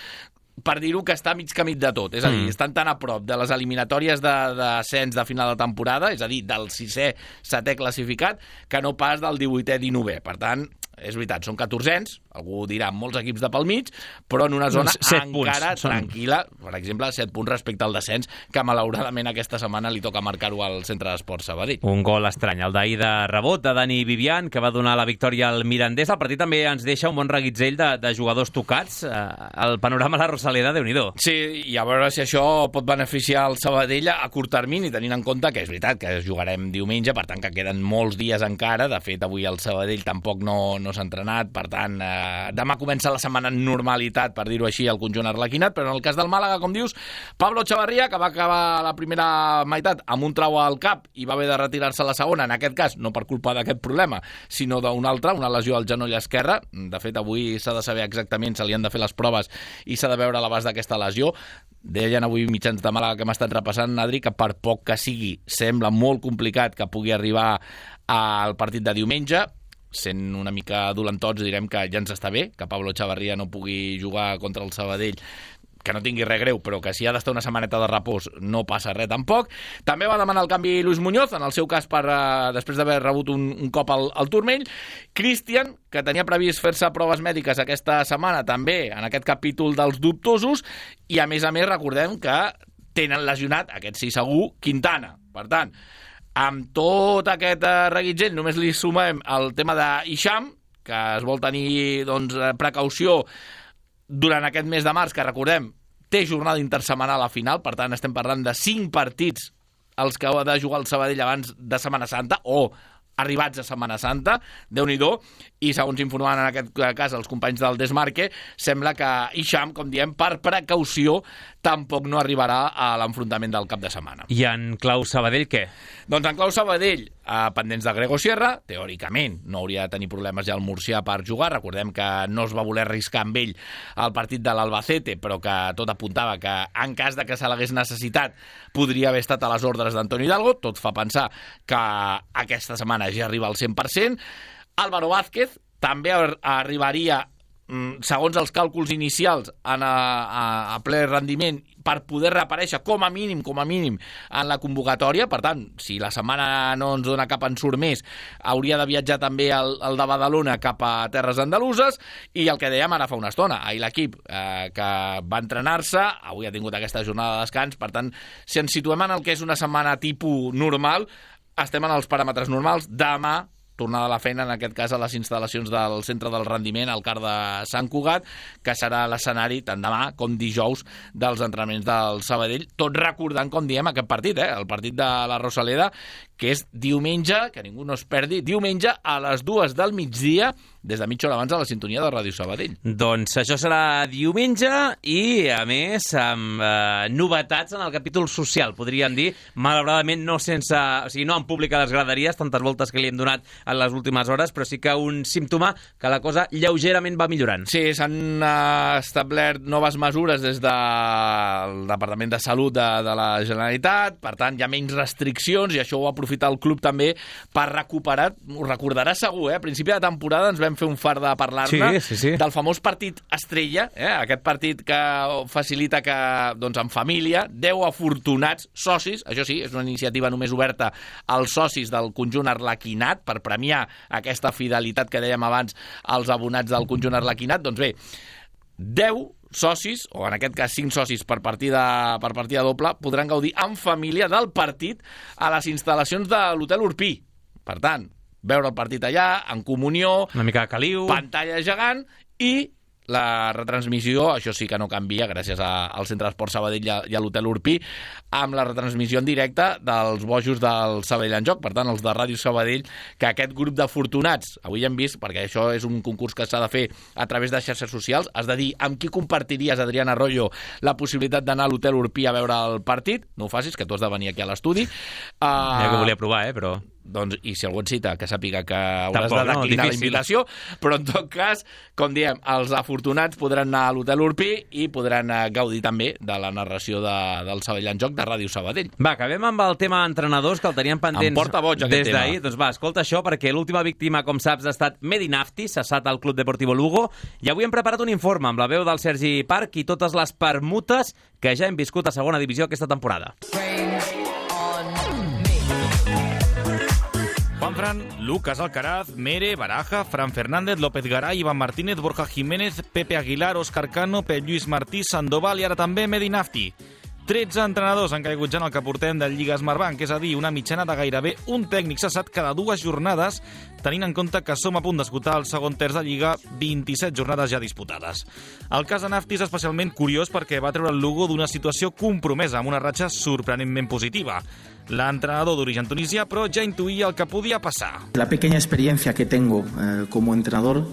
S4: per dir-ho que està mig camí de tot. És a dir, mm. estan tan a prop de les eliminatòries d'ascens de, de final de temporada, és a dir, del sisè, setè classificat, que no pas del divuitè, dinovè. Per tant, és veritat, són catorzens, algú dirà molts equips de pel mig, però en una zona encara punts. tranquil·la, per exemple, set punts respecte al descens, que malauradament aquesta setmana li toca marcar-ho al Centre d'Esports Sabadell.
S1: Un gol estrany, el d'ahir de rebot de Dani Vivian, que va donar la victòria al Mirandés. El partit també ens deixa un bon reguitzell de, de jugadors tocats. El panorama a la Rosaleda, Déu-n'hi-do.
S4: Sí, i a veure si això pot beneficiar el Sabadell a curt termini, tenint en compte que és veritat que jugarem diumenge, per tant que queden molts dies encara. De fet, avui el Sabadell tampoc no, no s'ha entrenat, per tant, eh, demà comença la setmana en normalitat, per dir-ho així, el conjunt arlequinat, però en el cas del Màlaga, com dius, Pablo Chavarria, que va acabar la primera meitat amb un trau al cap i va haver de retirar-se a la segona, en aquest cas, no per culpa d'aquest problema, sinó d'un altre, una lesió al genoll esquerre. De fet, avui s'ha de saber exactament, se li han de fer les proves i s'ha de veure l'abast d'aquesta lesió. Deien avui mitjans de Màlaga que hem estat repassant, Adri, que per poc que sigui, sembla molt complicat que pugui arribar al partit de diumenge. Sent una mica dolentots, direm que ja ens està bé, que Pablo Chavarria no pugui jugar contra el Sabadell, que no tingui res greu, però que si ha d'estar una setmaneta de repòs no passa res tampoc. També va demanar el canvi Luis Muñoz, en el seu cas per, uh, després d'haver rebut un, un cop al, al turmell. Cristian, que tenia previst fer-se proves mèdiques aquesta setmana, també en aquest capítol dels dubtosos, i a més a més recordem que tenen lesionat, aquest sí segur, Quintana. Per tant, amb tot aquest uh, reguitzell només li sumem el tema d'Hisham, que es vol tenir doncs, precaució durant aquest mes de març, que recordem, té jornada intersetmanal a la final, per tant estem parlant de cinc partits els que ha de jugar el Sabadell abans de Setmana Santa, o arribats a Setmana Santa, Déu-n'hi-do, i segons informaven en aquest cas els companys del Desmarque, sembla que Hisham, com diem, per precaució, tampoc no arribarà a l'enfrontament del cap de setmana.
S1: I en clau Sabadell, què?
S4: Doncs en clau Sabadell, eh, pendents de Grego Sierra, teòricament no hauria de tenir problemes ja el murcià per jugar. Recordem que no es va voler arriscar amb ell al partit de l'Albacete, però que tot apuntava que en cas de que se l'hagués necessitat podria haver estat a les ordres d'Antonio Hidalgo. Tot fa pensar que aquesta setmana ja arriba al cent per cent. Álvaro Vázquez també arribaria, segons els càlculs inicials, en a, a, a ple rendiment per poder reaparèixer com a mínim, com a mínim en la convocatòria. Per tant, si la setmana no ens dona cap ensurt més, hauria de viatjar també el, el de Badalona cap a terres andaluses. I el que dèiem ara fa una estona, ahir l'equip eh, que va entrenar-se, avui ha tingut aquesta jornada de descans. Per tant, si ens situem en el que és una setmana tipus normal, estem en els paràmetres normals. Demà tornada a la feina, en aquest cas a les instal·lacions del centre del rendiment, al CAR de Sant Cugat, que serà l'escenari tant demà com dijous dels entrenaments del Sabadell, tot recordant, com diem, aquest partit, eh? El partit de la Rosaleda, que és diumenge, que ningú no es perdi, diumenge a les dues del migdia, des de mitja hora abans a la sintonia de Ràdio Sabadell.
S1: Doncs això serà diumenge i, a més, amb eh, novetats en el capítol social, podríem dir, malauradament no sense, o sigui, no en públic a les graderies, tantes voltes que li hem donat en les últimes hores, però sí que un símptoma que la cosa lleugerament va millorant.
S4: Sí, s'han uh, establert noves mesures des del Departament de Salut de, de la Generalitat, per tant, hi ha menys restriccions i això ho ha aprofitat el club també per recuperar, ho recordarà segur, eh? A principi de temporada ens vam fer un far de parlar-ne
S1: sí, sí, sí.
S4: del famós partit estrella, eh? Aquest partit que facilita que, doncs, en família, deu afortunats socis, això sí, és una iniciativa només oberta als socis del conjunt arlequinat, per premiar aquesta fidelitat que dèiem abans als abonats del conjunt arlequinat, doncs bé, deu socis, o en aquest cas cinc socis per partida, per partida doble, podran gaudir en família del partit a les instal·lacions de l'Hotel Urpí. Per tant, veure el partit allà, en comunió,
S1: una mica de caliu,
S4: pantalla gegant i la retransmissió, això sí que no canvia gràcies a, al Centre d'Esport Sabadell i a, i a l'Hotel Urpí, amb la retransmissió en directe dels bojos del Sabadell en Joc, per tant, els de Ràdio Sabadell, que aquest grup d'afortunats, avui hem vist, perquè això és un concurs que s'ha de fer a través de xarxes socials, has de dir amb qui compartiries, Adrián Arroyo, la possibilitat d'anar a l'Hotel Urpí a veure el partit. No ho facis, que tu has de venir aquí a l'estudi. Uh,
S1: ja que volia provar, eh, però...
S4: Doncs, i si algú et cita, que sàpiga que hauràs
S1: Tampoc,
S4: de declinar
S1: no,
S4: la invitació, però en tot cas, com diem, els afortunats podran anar a l'Hotel Urpí i podran gaudir també de la narració de, del Sabadell en Joc de Ràdio Sabadell.
S1: Va, acabem amb el tema entrenadors, que el teníem pendents
S4: em porta boig,
S1: des d'ahir. Doncs va, escolta això, perquè l'última víctima, com saps, ha estat Medi Nafti, cessat al Club Deportivo Lugo, i avui hem preparat un informe amb la veu del Sergi Parc i totes les permutes que ja hem viscut a segona divisió aquesta temporada.
S6: Juanfran, Lucas Alcaraz, Mere, Baraja, Fran Fernández, López Garay, Iván Martínez, Borja Jiménez, Pepe Aguilar, Òscar Cano, Pep Lluís Martí, Sandoval i ara també Medi Nafti. tretze entrenadors han caigut ja en el que portem del Lliga Smartbank, és a dir, una mitjana de gairebé un tècnic cessat cada dues jornades, tenint en compte que som a punt d'esgotar el segon terç de Lliga, vint-i-set jornades ja disputades. El cas de Nafti és especialment curiós perquè va treure el Lugo d'una situació compromesa, amb una ratxa sorprenentment positiva. L'entrenador d'origen tunisià, però ja intuïa el que podia passar.
S7: La pequeña experiencia que tengo eh, como entrenador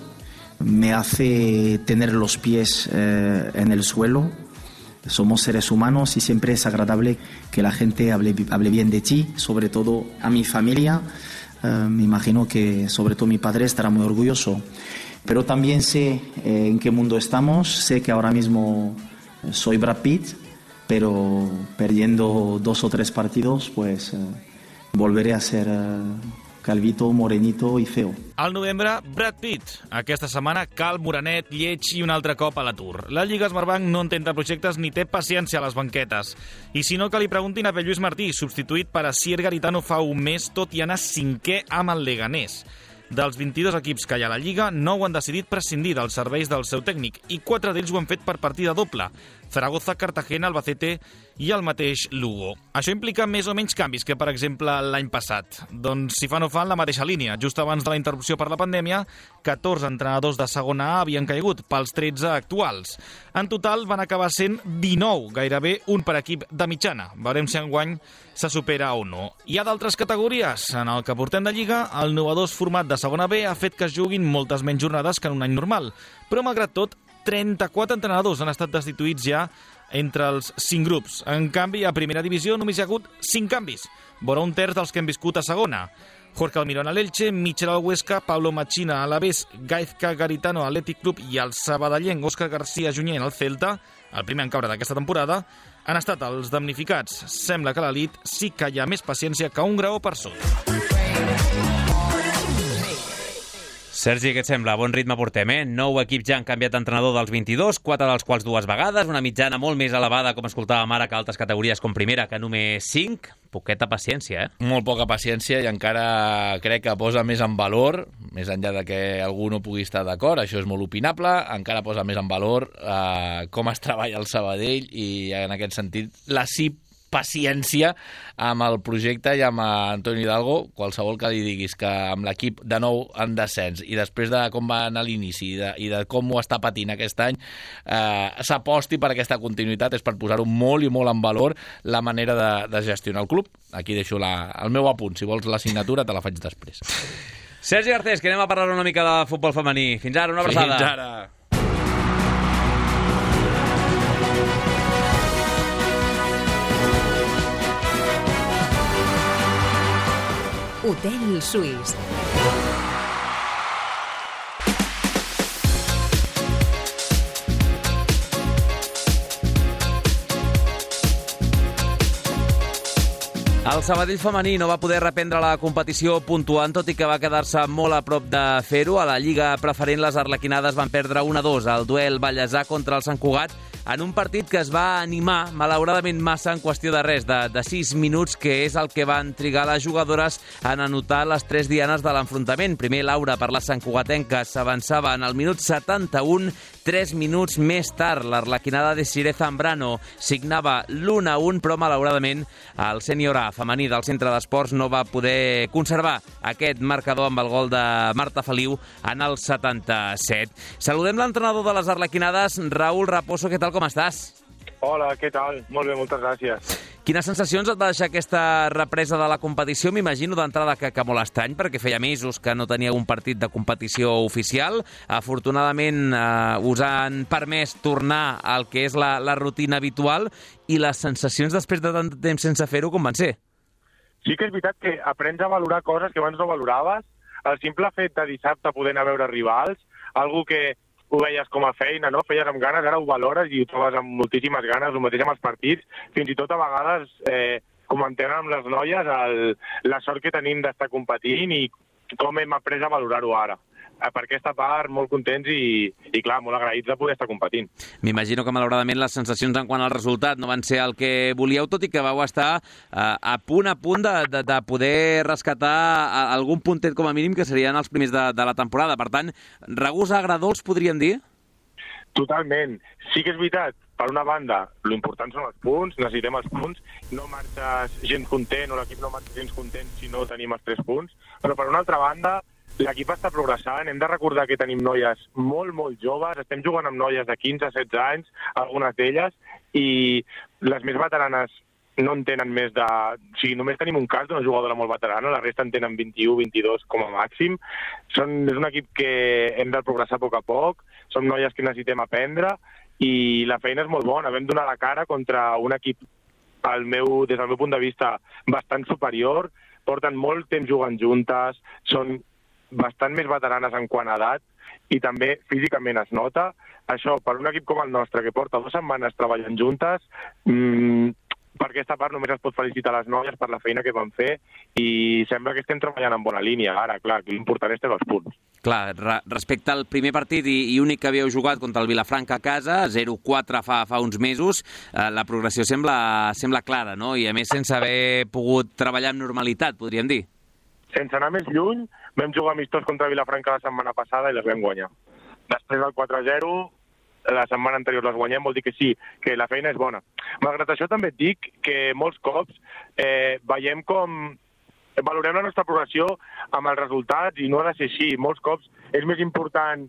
S7: me hace tener los pies eh, en el suelo. Somos seres humanos y siempre es agradable que la gente hable, hable bien de ti, sobre todo a mi familia. Eh, me imagino que sobre todo mi padre estará muy orgulloso. Pero también sé eh, en qué mundo estamos, sé que ahora mismo soy Brad Pitt, pero perdiendo dos o tres partidos, pues eh, volveré a ser eh, calvito, morenito i feo.
S6: Al novembre, Brad Pitt. Aquesta setmana, calm, morenet, lleig i un altre cop a l'atur. La Lliga Smartbank no entén de projectes ni té paciència a les banquetes. I si no, que li preguntin a Pep Lluís Martí, substituït per Asier Garitano fa un mes, tot i anar cinquè amb el Leganés. Dels vint-i-dos equips que hi ha a la Lliga, nou han decidit prescindir dels serveis del seu tècnic i quatre d'ells ho han fet per partida doble. Zaragoza, Cartagena, Albacete i el mateix Lugo. Això implica més o menys canvis que, per exemple, l'any passat. Doncs si fa no fa en la mateixa línia. Just abans de la interrupció per la pandèmia, catorze entrenadors de segona A havien caigut pels tretze actuals. En total van acabar sent dinou, gairebé un per equip de mitjana. Veurem si enguany se supera o no. Hi ha d'altres categories. En el que portem de Lliga, el innovador format de segona B ha fet que es juguin moltes menys jornades que en un any normal. Però, malgrat tot, trenta-quatre entrenadors han estat destituïts ja entre els cinc grups. En canvi, a primera divisió només hi ha hagut cinc canvis, vora un terç dels que hem viscut a segona. Jorge Almirón a l'Elche, Michel al Huesca, Pablo Machina a l'Alavés, Gaizka Garitano a l'Athletic Club i el sabadellenc Òscar García Junyent al Celta, el primer en caure d'aquesta temporada, han estat els damnificats. Sembla que a l'elit sí que hi ha més paciència que un graó per sota.
S1: Sergi, què et sembla? Bon ritme portem, eh? Nou equips ja han canviat d'entrenador dels vint-i-dos, quatre dels quals dues vegades, una mitjana molt més elevada, com escoltàvem ara, que altres categories com primera, que només cinc. Poqueta paciència, eh?
S4: Molt poca paciència i encara crec que posa més en valor, més enllà de que algú no pugui estar d'acord, això és molt opinable, encara posa més en valor eh, com es treballa el Sabadell i en aquest sentit la C I P paciència amb el projecte i amb Antoni Hidalgo. Qualsevol que li diguis que amb l'equip de nou en descens i després de com va anar l'inici i, de, i de com ho està patint aquest any, eh, s'aposti per aquesta continuïtat, és per posar-ho molt i molt en valor la manera de, de gestionar el club. Aquí deixo la, el meu apunt. Si vols la signatura, te la faig després.
S1: Sergi Garcés, que anem a parlar una mica de futbol femení. Fins ara, una abraçada.
S4: Fins ara.
S3: Hotel Suís.
S1: El Sabadell femení no va poder reprendre la competició puntuant, tot i que va quedar-se molt a prop de fer-ho. A la Lliga Preferent, les arlequinades van perdre un a dos al duel Vallèsà contra el Sant Cugat, en un partit que es va animar, malauradament massa, en qüestió de res, de, de sis minuts, que és el que van trigar les jugadores en anotar les tres dianes de l'enfrontament. Primer, Laura, per la santcugatenca, s'avançava en el minut setanta-un. Tres minuts més tard, l'arlequinada de Siré Zambrano signava l'u a u, però malauradament el sènior A femení del centre d'esports no va poder conservar aquest marcador amb el gol de Marta Feliu en el setanta-set. Saludem l'entrenador de les arlequinades, Raúl Raposo. Què tal, com estàs?
S8: Hola, què tal? Molt bé, moltes gràcies.
S1: Quines sensacions et va deixar aquesta represa de la competició? M'imagino d'entrada que, que molt estrany, perquè feia mesos que no tenia un partit de competició oficial. Afortunadament eh, us han permès tornar al que és la, la rutina habitual, i les sensacions després de tant temps sense fer-ho, com van ser?
S8: Sí que és veritat que aprens a valorar coses que abans no valoraves. El simple fet de dissabte poder anar a veure rivals, algo que ho veies com a feina, no? Feies amb ganes, ara ho valores i ho trobes amb moltíssimes ganes, el mateix amb els partits. Fins i tot a vegades eh, comentem amb les noies el, la sort que tenim d'estar competint i com hem après a valorar-ho ara. Per aquesta part, molt contents i, i clar, molt agraïts de poder estar competint.
S1: M'imagino que, malauradament, les sensacions en quant al resultat no van ser el que volíeu, tot i que vau estar eh, a punt a punt de, de, de poder rescatar algun puntet com a mínim, que serien els primers de, de la temporada. Per tant, regust agradolç, podríem dir?
S8: Totalment. Sí que és veritat, per una banda, l'important són els punts, necessitem els punts, no marxes gens content o l'equip no marxa gens content si no tenim els tres punts, però per una altra banda, l'equip està progressant. Hem de recordar que tenim noies molt, molt joves. Estem jugant amb noies de quinze a setze anys, algunes d'elles, i les més veteranes no en tenen més de... O sigui, només tenim un cas d'una jugadora molt veterana, la resta en tenen vint-i-u, vint-i-dos com a màxim. Són, és un equip que hem de progressar a poc a poc, som noies que necessitem aprendre, i la feina és molt bona. Vam donar la cara contra un equip, al meu, des del meu punt de vista, bastant superior. Porten molt temps jugant juntes, són bastant més veteranes en quant a edat i també físicament es nota. Això, per un equip com el nostre, que porta dues setmanes treballant juntes, mmm, per aquesta part només es pot felicitar les noies per la feina que van fer i sembla que estem treballant en bona línia. Ara, clar, l'important és tenir els punts.
S1: Clar, re respecte al primer partit i, i únic que havíeu jugat contra el Vilafranca a casa, zero quatre fa, fa uns mesos, eh, la progressió sembla, sembla clara, no? I a més sense haver pogut treballar amb normalitat, podríem dir.
S8: Sense anar més lluny, vam jugar amistós contra Vilafranca la setmana passada i les vam guanyar. Després del quatre a zero, la setmana anterior les guanyem, vol dir que sí, que la feina és bona. Malgrat això també et dic que molts cops eh, veiem com... valorem la nostra progressió amb els resultats i no ha de ser així. Molts cops és més important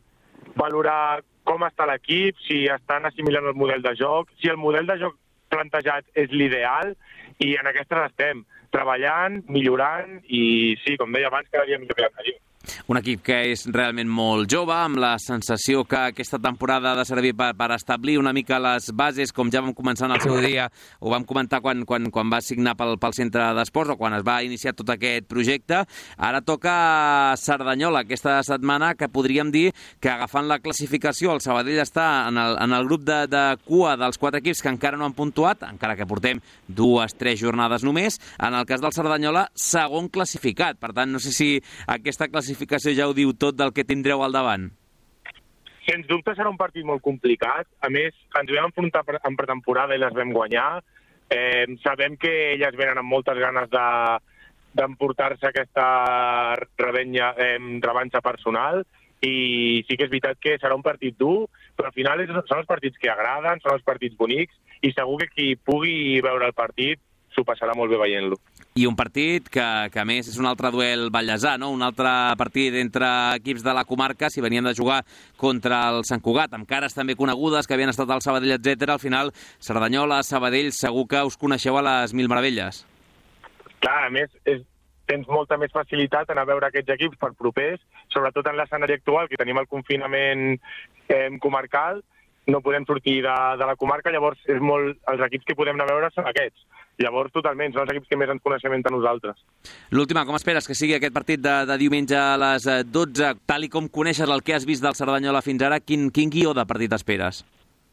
S8: valorar com està l'equip, si estan assimilant el model de joc, si el model de joc plantejat és l'ideal, i en aquestes estem treballant, millorant, i sí, com deia abans, cada dia millor que l'anterior.
S1: Un equip que és realment molt jove, amb la sensació que aquesta temporada ha de servir per, per establir una mica les bases, com ja vam començar en el seu dia, ho vam comentar quan, quan, quan va signar pel, pel centre d'esports o quan es va iniciar tot aquest projecte. Ara toca Cerdanyola aquesta setmana, que podríem dir que agafant la classificació el Sabadell està en el, en el grup de, de cua dels quatre equips que encara no han puntuat, encara que portem dues, tres jornades només. En el cas del Cerdanyola, segon classificat. Per tant, no sé si aquesta classificació ja ho diu tot del que tindreu al davant.
S8: Sens dubte serà un partit molt complicat. A més, ens vam enfrontar en pretemporada i les vam guanyar. Eh, sabem que elles venen amb moltes ganes de, d'emportar-se aquesta rebenya, eh, revanxa personal, i sí que és veritat que serà un partit dur, però al final és, són els partits que agraden, són els partits bonics, i segur que qui pugui veure el partit s'ho passarà molt bé veient-lo.
S1: I un partit que, que a més és un altre duel ballesà, no? Un altre partit entre equips de la comarca, si venien de jugar contra el Sant Cugat, amb cares també conegudes que havien estat al Sabadell, etcètera. Al final, Cerdanyola, Sabadell, segur que us coneixeu a les mil meravelles.
S8: Clar, a més, és, tens molta més facilitat en a veure aquests equips per propers, sobretot en l'escenari actual, que tenim el confinament eh, comarcal, no podem sortir de, de la comarca, llavors és molt, els equips que podem anar a veure són aquests. Llavors, totalment, són els equips que més ens coneixem entre nosaltres.
S1: L'última, com esperes que sigui aquest partit de, de diumenge a les dotze? Tal i com coneixes el que has vist del Cerdanyola fins ara, quin, quin guió de partit esperes?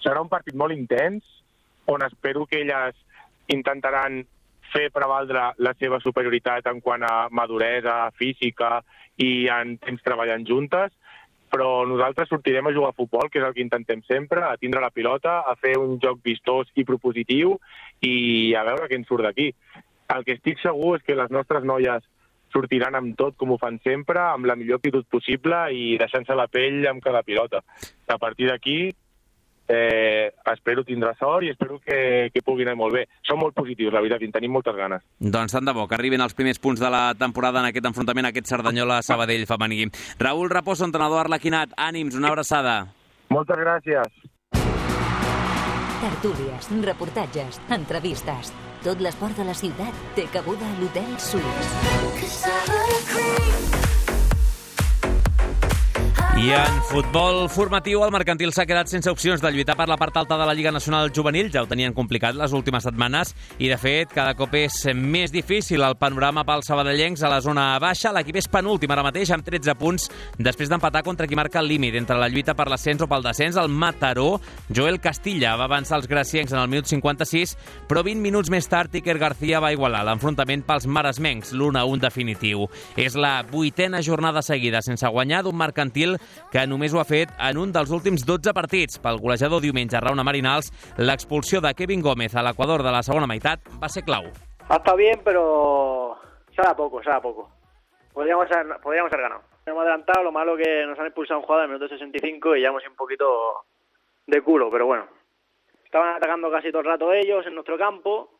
S8: Serà un partit molt intens, on espero que elles intentaran fer prevaldre la seva superioritat en quant a maduresa física i en temps treballant juntes, però nosaltres sortirem a jugar a futbol, que és el que intentem sempre, a tindre la pilota, a fer un joc vistós i propositiu i a veure què ens surt d'aquí. El que estic segur és que les nostres noies sortiran amb tot, com ho fan sempre, amb la millor actitud possible i deixant-se la pell amb cada pilota. A partir d'aquí, eh, espero tindre sort i espero que, que pugui anar molt bé. Som molt positius, la veritat, i en tenim moltes ganes.
S1: Doncs tant de bo, que arriben els primers punts de la temporada en aquest enfrontament, aquest Cerdanyola-Sabadell femení. Raül Raposo, entrenador arlequinat, ànims, una abraçada.
S8: Moltes gràcies.
S3: Tertúlies, reportatges, entrevistes. Tot l'esport de la ciutat té cabuda a l'Hotel Suís.
S1: I en futbol formatiu, el Mercantil s'ha quedat sense opcions de lluitar per la part alta de la Lliga Nacional Juvenil. Ja ho tenien complicat les últimes setmanes i, de fet, cada cop és més difícil el panorama pels sabadellencs a la zona baixa. L'equip és penúltim ara mateix amb tretze punts després d'empatar contra qui marca el límit entre la lluita per l'ascens o pel descens. El Mataró, Joel Castilla, va avançar els graciencs en el minut cinquanta-sis, però vint minuts més tard Iker García va igualar l'enfrontament pels maresmencs, l'u a un definitiu. És la vuitena jornada seguida sense guanyar d'un Mercantil que només ho ha fet en un dels últims dotze partits. Pel golejador diumenge a Rauna Marinals, l'expulsió de Kevin Gómez a l'Equador de la segona meitat va ser clau.
S9: Ha estado bien, pero sabe a poco, sabe a poco. Podríamos haber, podríamos haber ganado. Hemos adelantado, lo malo que nos han expulsado un jugador en el minuto sesenta y cinco y ya hemos ido un poquito de culo, pero bueno. Estaban atacando casi todo el rato ellos en nuestro campo,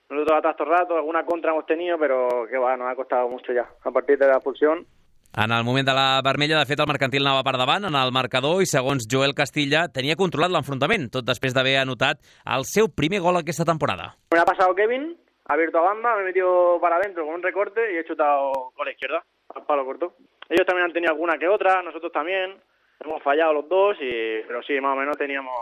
S9: nosotros atrás todo el rato, alguna contra hemos tenido, pero que va, nos ha costado mucho ya, a partir de la expulsión.
S1: En el moment de la vermella, de fet, el Mercantil anava per davant en el marcador i, segons Joel Castilla, tenia controlat l'enfrontament, tot després d'haver anotat el seu primer gol aquesta temporada.
S9: Me ha pasado Kevin, ha abierto a banda, me he metido para adentro con un recorte y he chutado con la izquierda, al palo corto. Ellos también han tenido alguna que otra, nosotros también, hemos fallado los dos, y pero sí, más o menos teníamos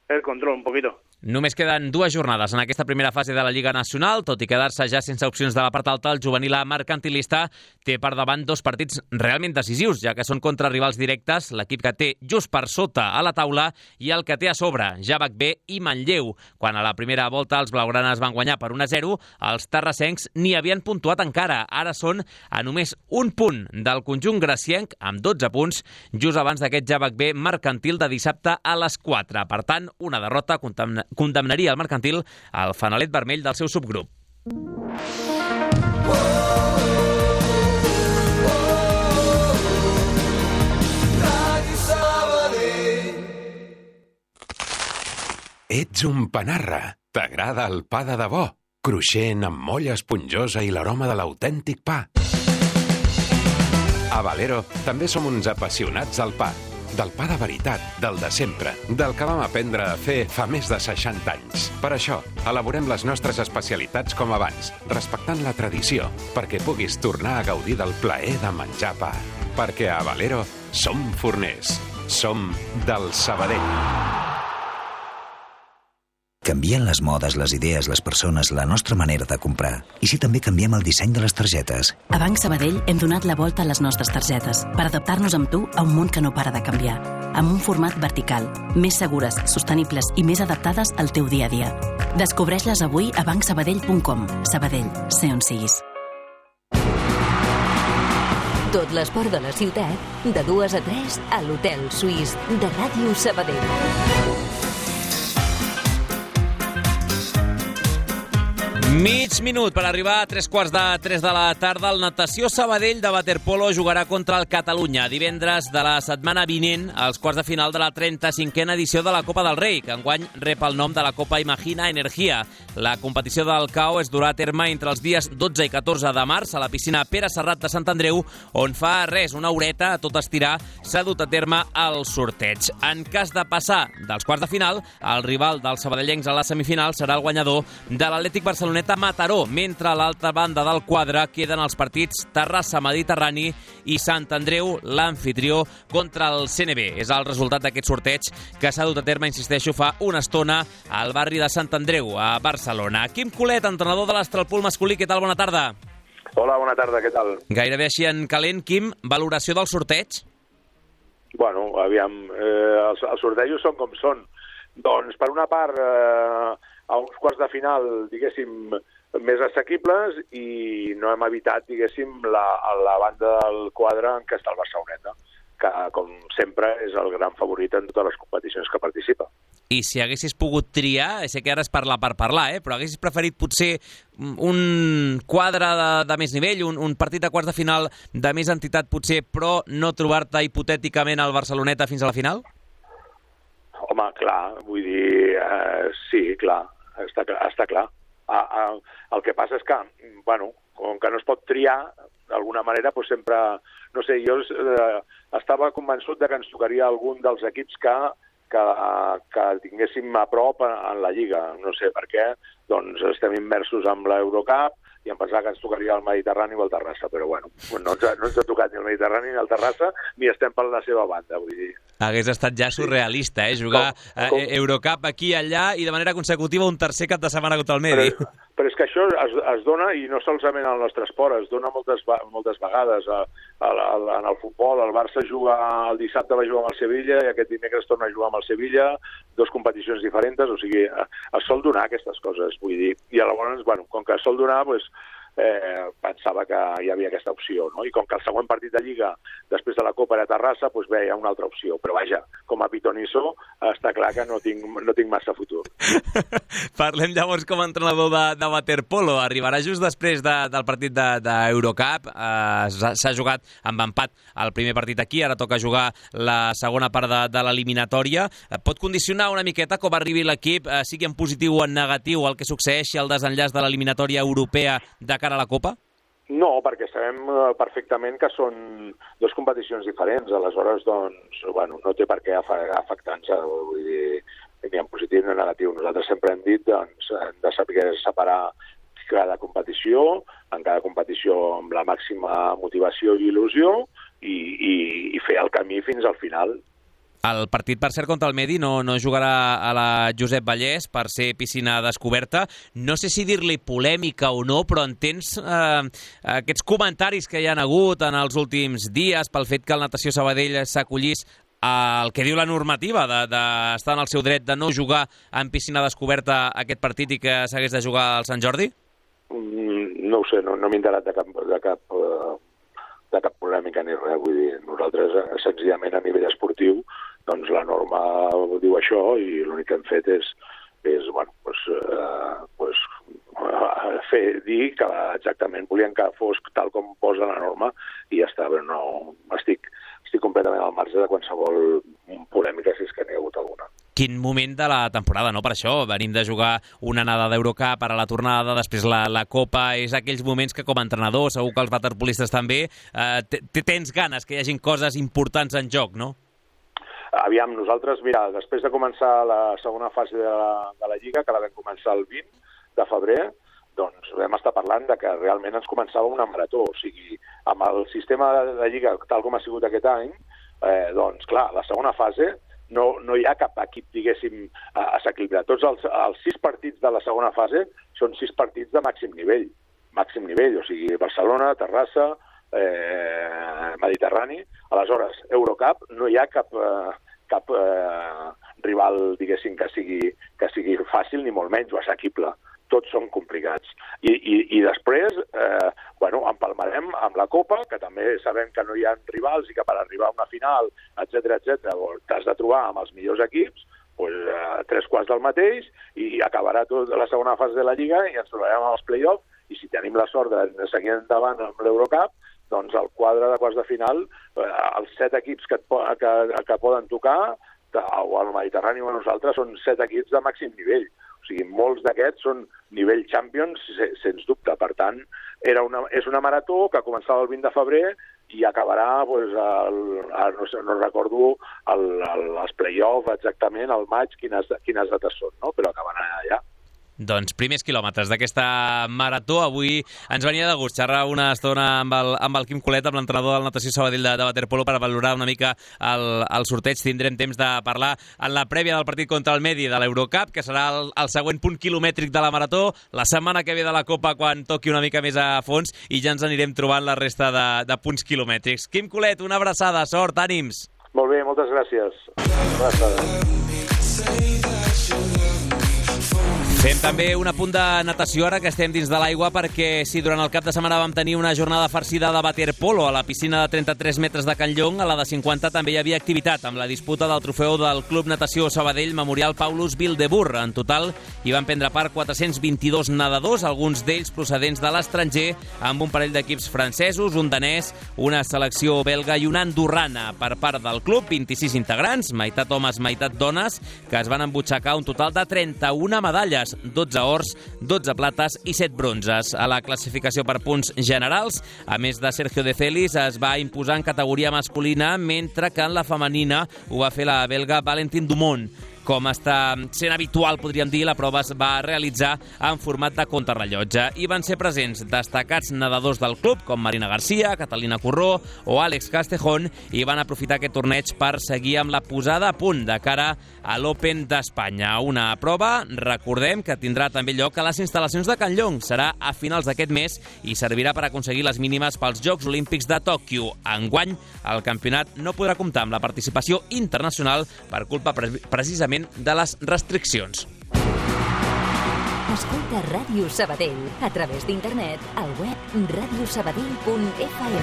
S9: el control un poquito.
S1: Només queden dues jornades en aquesta primera fase de la Lliga Nacional. Tot i quedar-se ja sense opcions de la part alta, el juvenil A mercantilista té per davant dos partits realment decisius, ja que són contra rivals directes, l'equip que té just per sota a la taula i el que té a sobre, Javac B i Manlleu. Quan a la primera volta els blaugranes van guanyar per un a zero, els terrassencs ni havien puntuat encara. Ara són a només un punt del conjunt gracienc, amb dotze punts, just abans d'aquest Javac B mercantil de dissabte a les quatre. Per tant, una derrota condemnaria el Mercantil al fanalet vermell del seu subgrup.
S10: Ets un panarra. T'agrada el pa de debò? Cruixent, amb molla esponjosa i l'aroma de l'autèntic pa. A Valero també som uns apassionats del pa. Del pa de veritat, del de sempre, del que vam aprendre a fer fa més de seixanta anys. Per això, elaborem les nostres especialitats com abans, respectant la tradició, perquè puguis tornar a gaudir del plaer de menjar pa. Perquè a Valero som forners, som del Sabadell.
S11: Canvien les modes, les idees, les persones, la nostra manera de comprar. I si també canviem el disseny de les targetes?
S2: A Banc Sabadell hem donat la volta a les nostres targetes per adaptar-nos amb tu a un món que no para de canviar. Amb un format vertical, més segures, sostenibles i més adaptades al teu dia a dia. Descobreix-les avui a banc sabadell punt com. Sabadell, sé on siguis.
S3: Tot l'esport de la ciutat, de dues a tres, a l'Hotel Suís de Ràdio Sabadell.
S1: Mig minut per arribar a tres quarts de tres de la tarda. El Natació Sabadell de waterpolo jugarà contra el Catalunya divendres de la setmana vinent als quarts de final de la trenta-cinquena edició de la Copa del Rei, que enguany rep el nom de la Copa Imagina Energia. La competició del C A O es durà a terme entre els dies dotze i catorze de març a la piscina Pere Serrat de Sant Andreu, on fa res, una horeta a tot estirar, s'ha dut a terme el sorteig. En cas de passar dels quarts de final, el rival dels sabadellencs a la semifinal serà el guanyador de l'Atlètic Barceloneta Mataró, mentre a l'altra banda del quadre queden els partits Terrassa Mediterrani i Sant Andreu, l'anfitrió, contra el C N B. És el resultat d'aquest sorteig que s'ha dut a terme, insisteixo, fa una estona al barri de Sant Andreu, a Barcelona. Quim Colet, entrenador de l'Estralpool masculí, què tal? Bona tarda.
S12: Hola, bona tarda, què tal?
S1: Gairebé així en calent. Quim, valoració del sorteig?
S12: Bueno, aviam, eh, els, els sortejos són com són. Doncs, per una part, eh, a uns quarts de final, diguéssim, més assequibles, i no hem evitat, diguéssim, la, la banda del quadre en què està el Barceloneta, que, com sempre, és el gran favorit en totes les competicions que participa.
S1: I si haguessis pogut triar, sé que ara és parlar per parlar, eh, però haguessis preferit potser un quadre de, de més nivell, un, un partit de quarts de final de més entitat potser, però no trobar-te hipotèticament al Barceloneta fins a la final?
S12: Home, clar, vull dir, eh, sí, clar, està, està clar. Ah, ah, el que passa és que, bueno, com que no es pot triar, d'alguna manera, doncs sempre, no sé, jo eh, estava convençut de que ens tocaria algun dels equips que, que, que tinguéssim a prop en, en la Lliga. No sé per què, doncs estem immersos amb l'Eurocup i em pensava que ens tocaria el Mediterrani o el Terrassa, però bueno, no ens ha, no ens ha tocat ni el Mediterrani ni el Terrassa, ni estem per la seva banda, vull dir.
S1: Hagués estat ja surrealista, eh? Jugar com, com... Eh, Eurocup aquí i allà i de manera consecutiva un tercer cap de setmana contra el Medi.
S12: Però, però és que això es, es dona, i no solament al nostre esport, es dona moltes, moltes vegades. A, a, a, en el futbol, el Barça juga, el dissabte va jugar amb el Sevilla i aquest dimecres torna a jugar amb el Sevilla, dos competicions diferents, o sigui, es sol donar aquestes coses, vull dir. I llavors, bueno, com que es sol donar, doncs, Eh, pensava que hi havia aquesta opció, no? I com que el següent partit de Lliga després de la Copa era a Terrassa, doncs bé, hi ha una altra opció, però vaja, com a pitonisso està clar que no tinc, no tinc massa futur.
S1: Parlem llavors com a entrenador de, de waterpolo. Arribarà just després de, del partit d'Eurocup, de, eh, s'ha jugat amb empat el primer partit aquí, ara toca jugar la segona part de, de l'eliminatòria. Pot condicionar una miqueta com arribi l'equip, eh, sigui en positiu o en negatiu, el que succeeixi al desenllaç de l'eliminatòria europea de cara a la Copa?
S12: No, perquè sabem perfectament que són dues competicions diferents, aleshores, doncs, bueno, no té per què afectar-nos, vull dir, ni en positiu ni en negatiu. Nosaltres sempre hem dit, doncs, hem de saber separar cada competició, en cada competició amb la màxima motivació i il·lusió, i, i, i fer el camí fins al final.
S1: El partit, per cert, contra el Medi no, no jugarà a la Josep Vallès per ser piscina descoberta. No sé si dir-li polèmica o no, però entens eh, aquests comentaris que hi ha hagut en els últims dies pel fet que el Natació Sabadell s'acollís al que diu la normativa d'estar de, de en el seu dret de no jugar en piscina descoberta aquest partit i que s'hagués de jugar al Sant Jordi?
S12: Mm, no ho sé, no, no m'he enterat de cap... De cap uh... de cap polèmica ni res, vull dir, nosaltres senzillament a nivell esportiu, doncs la norma diu això i l'únic que hem fet és, és bueno, pues, eh, pues, fer, dir que exactament volien que fos tal com posa la norma i ja està, però no, estic, estic completament al marge de qualsevol polèmica, si és que n'hi ha hagut alguna.
S1: Quin moment de la temporada, no? Per això venim de jugar una anada d'Eurocup, ara la tornada, després la, la Copa, és aquells moments que com a entrenador, segur que els waterpolistes també, eh, tens ganes que hi hagin coses importants en joc, no?
S12: Aviam, nosaltres, mira, després de començar la segona fase de la, de la Lliga, que la vam començar el vint de febrer, doncs vam estar parlant de que realment ens començava una marató, o sigui, amb el sistema de, de Lliga tal com ha sigut aquest any, eh, doncs clar, la segona fase no, no hi ha cap equip, diguéssim, assequible. Tots els, els sis partits de la segona fase són sis partits de màxim nivell, màxim nivell, o sigui, Barcelona, Terrassa, eh, Mediterrani. Aleshores, Eurocup no hi ha cap, eh, cap eh, rival, diguéssim, que sigui, que sigui fàcil ni molt menys o assequible. Tots són complicats. I, i, i després, eh, bueno, empalmarem amb la Copa, que també sabem que no hi ha rivals i que per arribar a una final, etcètera, etcètera, t'has de trobar amb els millors equips, pues, a tres quarts del mateix i acabarà tota la segona fase de la Lliga i ens trobarem als play-offs i si tenim la sort de seguir endavant amb l'Eurocup, doncs el quadre de quarts de final, eh, els set equips que, et, que, que poden tocar o al Mediterrani o a nosaltres són set equips de màxim nivell. O sigui, molts d'aquests són nivell Champions, sens dubte. Per tant, era una, és una marató que començava el vint de febrer i acabarà, pues, el, el, no, sé, no recordo el, el, els play-offs exactament, al maig, quines, quines dates són, no? Però acabarà allà.
S1: Doncs primers quilòmetres d'aquesta marató. Avui ens venia de gust xerrar una estona amb el, amb el Quim Colet, amb l'entrenador del Natació Sabadell de, de waterpolo, per valorar una mica el, el sorteig. Tindrem temps de parlar en la prèvia del partit contra el Medi de l'Eurocup, que serà el, el següent punt quilomètric de la marató, la setmana que ve de la Copa, quan toqui una mica més a fons, i ja ens anirem trobant la resta de, de punts quilomètrics. Quim Colet, una abraçada, sort, ànims.
S12: Molt bé, moltes gràcies. Una abraçada.
S1: Fem també un apunt de natació ara que estem dins de l'aigua, perquè sí, durant el cap de setmana vam tenir una jornada farcida de waterpolo a la piscina de trenta-tres metres de Can Llong. A la de cinquanta també hi havia activitat amb la disputa del trofeu del Club Natació Sabadell Memorial Paulus Wildeboer. En total hi van prendre part quatre-cents vint-i-dos nedadors, alguns d'ells procedents de l'estranger, amb un parell d'equips francesos, un danès, una selecció belga i una andorrana. Per part del club, vint-i-sis integrants, meitat homes, meitat dones, que es van embutxacar un total de trenta-una medalles, dotze ors, dotze plates i set bronzes. A la classificació per punts generals, a més de Sergio de Celis, es va imposar en categoria masculina, mentre que en la femenina ho va fer la belga Valentin Dumont. Com està sent habitual, podríem dir, la prova es va realitzar en format de contrarrellotge. Hi van ser presents destacats nedadors del club, com Marina Garcia, Catalina Corró o Àlex Castejón, i van aprofitar aquest torneig per seguir amb la posada a punt de cara a l'Open d'Espanya. Una prova, recordem, que tindrà també lloc a les instal·lacions de Can Llong. Serà a finals d'aquest mes i servirà per aconseguir les mínimes pels Jocs Olímpics de Tòquio. Enguany, el campionat no podrà comptar amb la participació internacional per culpa precisament de les restriccions.
S3: Escolta Ràdio Sabadell a través d'internet al web radio sabadell punt f m.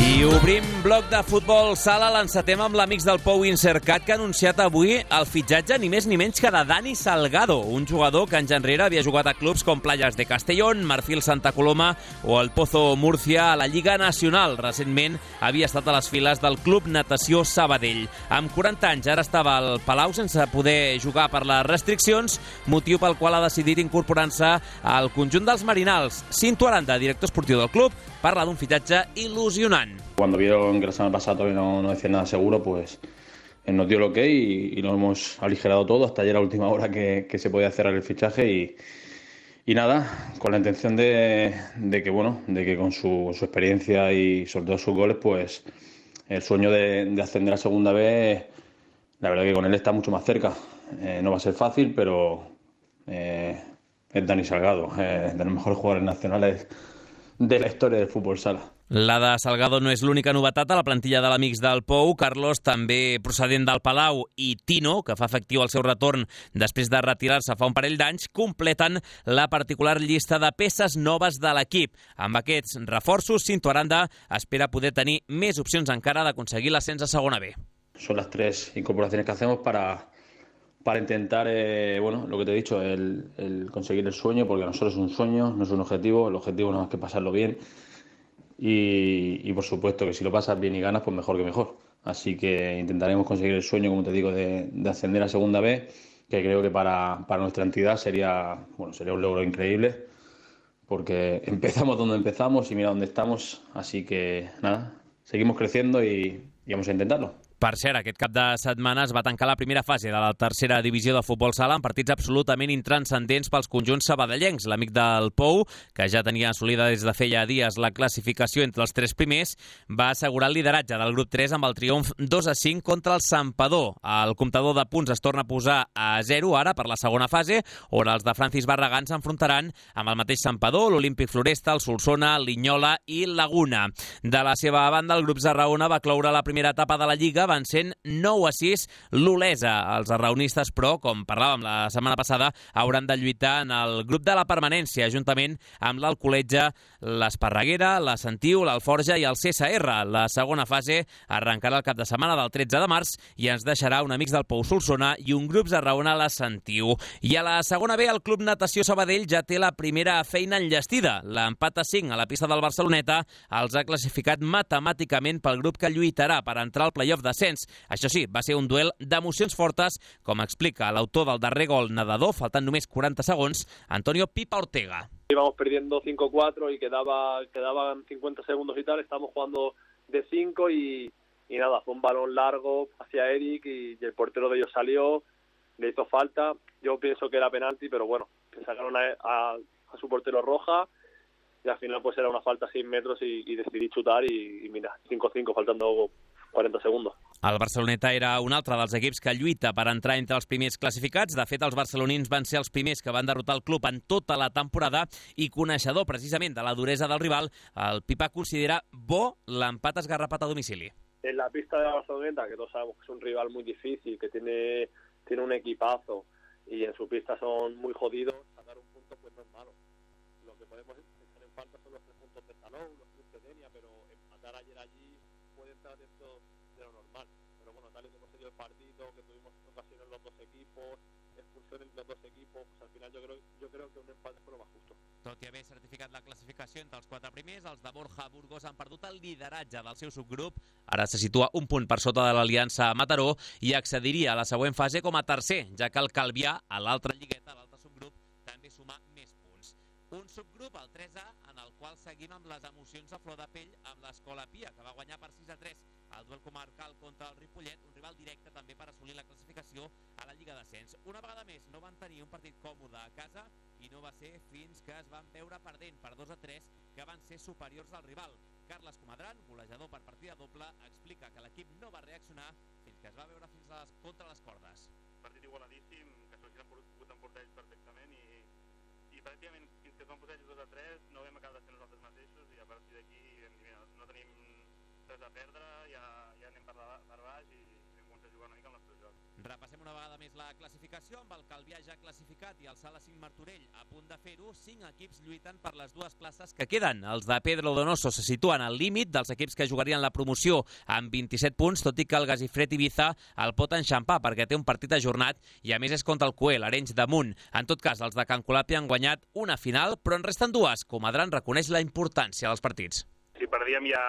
S1: I obrim bloc de futbol sala, l'encetem amb l'Amics del Pou Insercat, que ha anunciat avui el fitxatge ni més ni menys que de Dani Salgado, un jugador que anys enrere havia jugat a clubs com Playas de Castellón, Marfil Santa Coloma o el Pozo Murcia a la Lliga Nacional. Recentment havia estat a les files del Club Natació Sabadell. Amb quaranta anys ara estava al Palau sense poder jugar per les restriccions, motiu pel qual ha decidit incorporar-se al conjunt dels Marinals. Cinto Aranda, director esportiu del club, parla d'un fitxatge il·lusionant.
S13: Cuando vieron que la semana pasada todavía no, no decían nada seguro, pues él nos dio el ok y, y lo hemos aligerado todo hasta ayer a última hora que, que se podía cerrar el fichaje y, y nada, con la intención de, de que bueno, de que con su, su experiencia y sobre todo sus goles, pues el sueño de, de ascender a segunda B, la verdad que con él está mucho más cerca. Eh, no va a ser fácil, pero eh, es Dani Salgado, eh, de los mejores jugadores nacionales de la historia del fútbol sala.
S1: La de Salgado no és l'única novetat a la plantilla de l'Amics del Pou. Carlos, també procedent del Palau, i Tino, que fa efectiu el seu retorn després de retirar-se fa un parell d'anys, completen la particular llista de peces noves de l'equip. Amb aquests reforços, Cinto Aranda espera poder tenir més opcions encara d'aconseguir l'ascens a segona B.
S13: Son las tres incorporaciones que hacemos para, para intentar, eh, bueno, lo que te he dicho, el, el conseguir el sueño, porque a nosotros es un sueño, no es un objetivo. El objetivo no es que pasarlo bien. Y, y por supuesto que si lo pasas bien y ganas, pues mejor que mejor. Así que intentaremos conseguir el sueño, como te digo, de, de ascender a segunda B, que creo que para, para nuestra entidad sería, bueno, sería un logro increíble, porque empezamos donde empezamos y mira dónde estamos. Así que nada, seguimos creciendo y, y vamos a intentarlo.
S1: Per cert, aquest cap de setmana es va tancar la primera fase de la tercera divisió de futbol sala amb partits absolutament intranscendents pels conjunts sabadellencs. L'Amic del Pou, que ja tenia assolida des de feia dies la classificació entre els tres primers, va assegurar el lideratge del grup tres amb el triomf dos a cinc contra el Santpedor. El comptador de punts es torna a posar a zero ara per la segona fase, on els de Francis Barragán s'enfrontaran amb el mateix Santpedor, l'Olímpic Floresta, el Solsona, l'Inyola i Laguna. De la seva banda, el grup Zarraona va cloure la primera etapa de la Lliga Lliga, vencent nou a sis l'Olesa. Els arraunistes, però, com parlàvem la setmana passada, hauran de lluitar en el grup de la permanència, juntament amb l'Alcoletge, l'Esparreguera, la Sentiu, l'Alforja i el C S R. La segona fase arrencarà el cap de setmana del tretze de març i ens deixarà un Amics del Pou Solsona i un Grups Arraona a la Sentiu. I a la segona B, el Club Natació Sabadell ja té la primera feina enllestida. L'empat a cinc a la pista del Barceloneta els ha classificat matemàticament pel grup que lluitarà per entrar al playoff d'ascens. Això sí, va ser un duel d'emocions fortes, com explica l'autor del darrer gol nedador, faltant només quaranta segons, Antonio Pipa Ortega.
S14: Íbamos perdiendo cinco cuatro y quedaba, quedaban cincuenta segundos y tal, estábamos jugando de cinco y, y nada, fue un balón largo hacia Eric y, y el portero de ellos salió, le hizo falta. Yo pienso que era penalti, pero bueno, que sacaron a, a, a su portero roja y al final pues era una falta a seis metros y, y decidí chutar y, y mira, cinco cinco, faltando quaranta segundos.
S1: El Barceloneta era un altre dels equips que lluita per entrar entre els primers classificats. De fet, els barcelonins van ser els primers que van derrotar el club en tota la temporada i coneixedor precisament de la duresa del rival, el Pipa considera bo l'empat esgarrapat a domicili.
S14: En la pista de la Barceloneta, que todos sabemos que es un rival muy difícil, que tiene, tiene un equipazo y en su pista son muy jodidos, sacar un punto pues no es malo. Lo que podemos echar en falta son los tres puntos de Salou, los tres de Denia, pero empatar ayer allí puede entrar dentro de lo normal. Pero bueno, tal y como se dio el partido, que tuvimos ocasiones los dos equipos, expulsiones los dos equipos, pues al final yo creo, yo creo que un empate fue lo más justo.
S1: Tot i haver certificat la classificació entre els quatre primers, els de Borja Burgos han perdut el lideratge del seu subgrup. Ara se situa un punt per sota de l'Aliança Mataró i accediria a la següent fase com a tercer, ja que el Calvià, a l'altra lligueta, a l'altre subgrup, també suma més punts. Un subgrup, el tres A, en el qual seguim amb les emocions a flor de pell amb l'Escola Pia, que va guanyar per sis a tres el duel comarcal contra el Ripollet, un rival directe també per assolir la classificació a la Lliga d'Ascens. Una vegada més, no van tenir un partit còmode a casa i no va ser fins que es van veure perdent per dos a tres que van ser superiors al rival. Carles Comadran, golejador per partida doble, explica que l'equip no va reaccionar fins que es va veure fins a les, contra les cordes.
S15: Partit igualadíssim, que s'haurien pogut emportar ells perfectament i, i pràcticament fins que es van posar ells dos a tres no vam acabar de ser nosaltres mateixos i a partir d'aquí no tenim res a perdre, ja, ja anem per, la, per baix i hem començat a jugar una mica amb l'altre joc.
S1: Repassem una vegada més la classificació amb el Calvià ja classificat i el Sala cinc Martorell a punt de fer-ho. Cinc equips lluiten per les dues places que queden. Els de Pedro Donoso se situen al límit dels equips que jugarien la promoció amb vint-i-set punts, tot i que el Gasifred Ibiza el pot enxampar perquè té un partit ajornat i a més és contra el Coe, l'Arenys de Munt. En tot cas, els de Can Colàpia han guanyat una final, però en resten dues. Comadran reconeix la importància dels partits.
S15: Si perdíem ja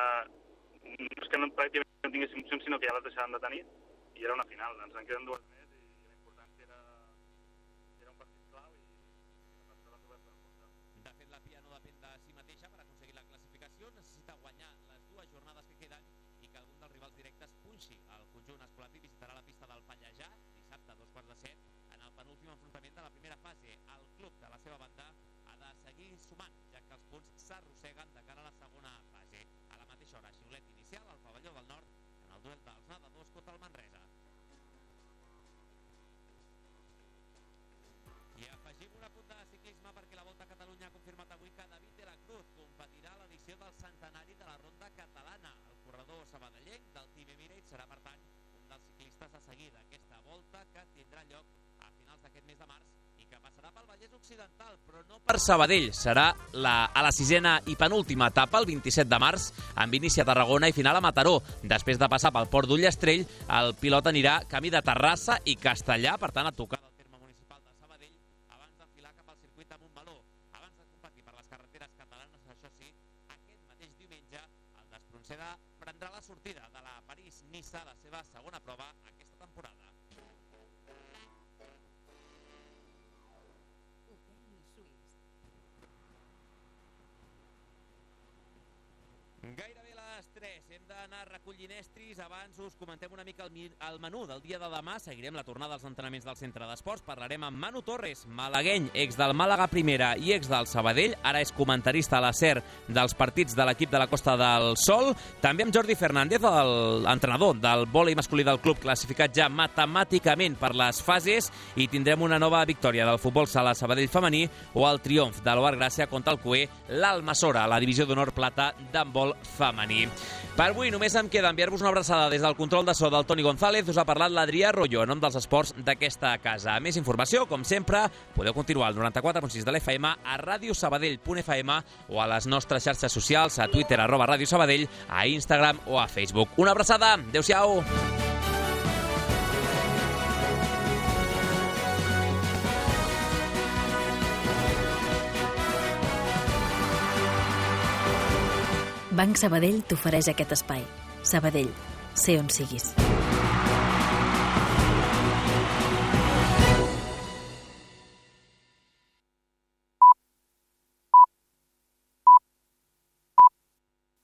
S15: no és que no, pràcticament no tinguéssim opcions, sinó que ja les deixàvem de tenir i era una final. Ens en queden dues més i la importància era, era un partit clau i la persona l'han trobat per emportar.
S1: De fet, la Pia no depèn de si mateixa per aconseguir la classificació, necessita guanyar les dues jornades que queden i que algun dels rivals directes punxi. El conjunt escolapi visitarà la pista del Pallejà dissabte a dos quarts de set en el penúltim enfrontament de la primera fase. El club, de la seva banda, ha de seguir sumant, ja que els punts s'arrosseguen de cara a la segona fase. A la mateixa hora, xiulet inicial al pavelló del Nord en el duel dels nedadors contra el Manresa. I afegim un apunt de ciclisme perquè la Volta a Catalunya ha confirmat avui que David de la Cruz competirà a l'edició del centenari de la Ronda Catalana. El corredor sabadellenc del Team Emirates serà, per tant, un dels ciclistes a seguir d'aquesta volta que tindrà lloc a finals d'aquest mes de març i que passarà pel Vallès Occidental, però no per Sabadell. Serà la, a la sisena i penúltima etapa, el vint-i-set de març, amb inici a Tarragona i final a Mataró. Després de passar pel Port d'Ullastrell, el pilot anirà camí de Terrassa i Castellà, per tant, a tocar del terme municipal de Sabadell, abans d'enfilar cap al circuit de Montmeló. Abans de competir per les carreteres catalanes, això sí, aquest mateix diumenge, el d'Espronceda prendrà la sortida de la París-Niça, la seva segona prova aquesta temporada. Gairebé a les tres. Hem d'anar recollint estris. Abans us comentem una mica el, el menú del dia de demà. Seguirem la tornada als entrenaments del centre d'esports. Parlarem amb Manu Torres, malagueny, ex del Màlaga Primera i ex del Sabadell. Ara és comentarista a la SER dels partits de l'equip de la Costa del Sol. També amb Jordi Fernández, l'entrenador del vòlei masculí del club, classificat ja matemàticament per les fases. I tindrem una nova victòria del futbol sala Sabadell femení o el triomf de l'Oar Gràcia contra el Coe, l'Almassora, a la divisió d'honor plata d'handbol femení. Per avui només em queda enviar-vos una abraçada des del control de so del Toni González. Us ha parlat l'Adrià Rolló, en nom dels esports d'aquesta casa. Més informació, com sempre, podeu continuar al noranta-quatre punt sis de l'F M, a radiosabadell punt f m o a les nostres xarxes socials, a Twitter, arroba Ràdio Sabadell, a Instagram o a Facebook. Una abraçada, adeu-siau!
S2: Banc Sabadell t'ofereix aquest espai. Sabadell, sé on siguis.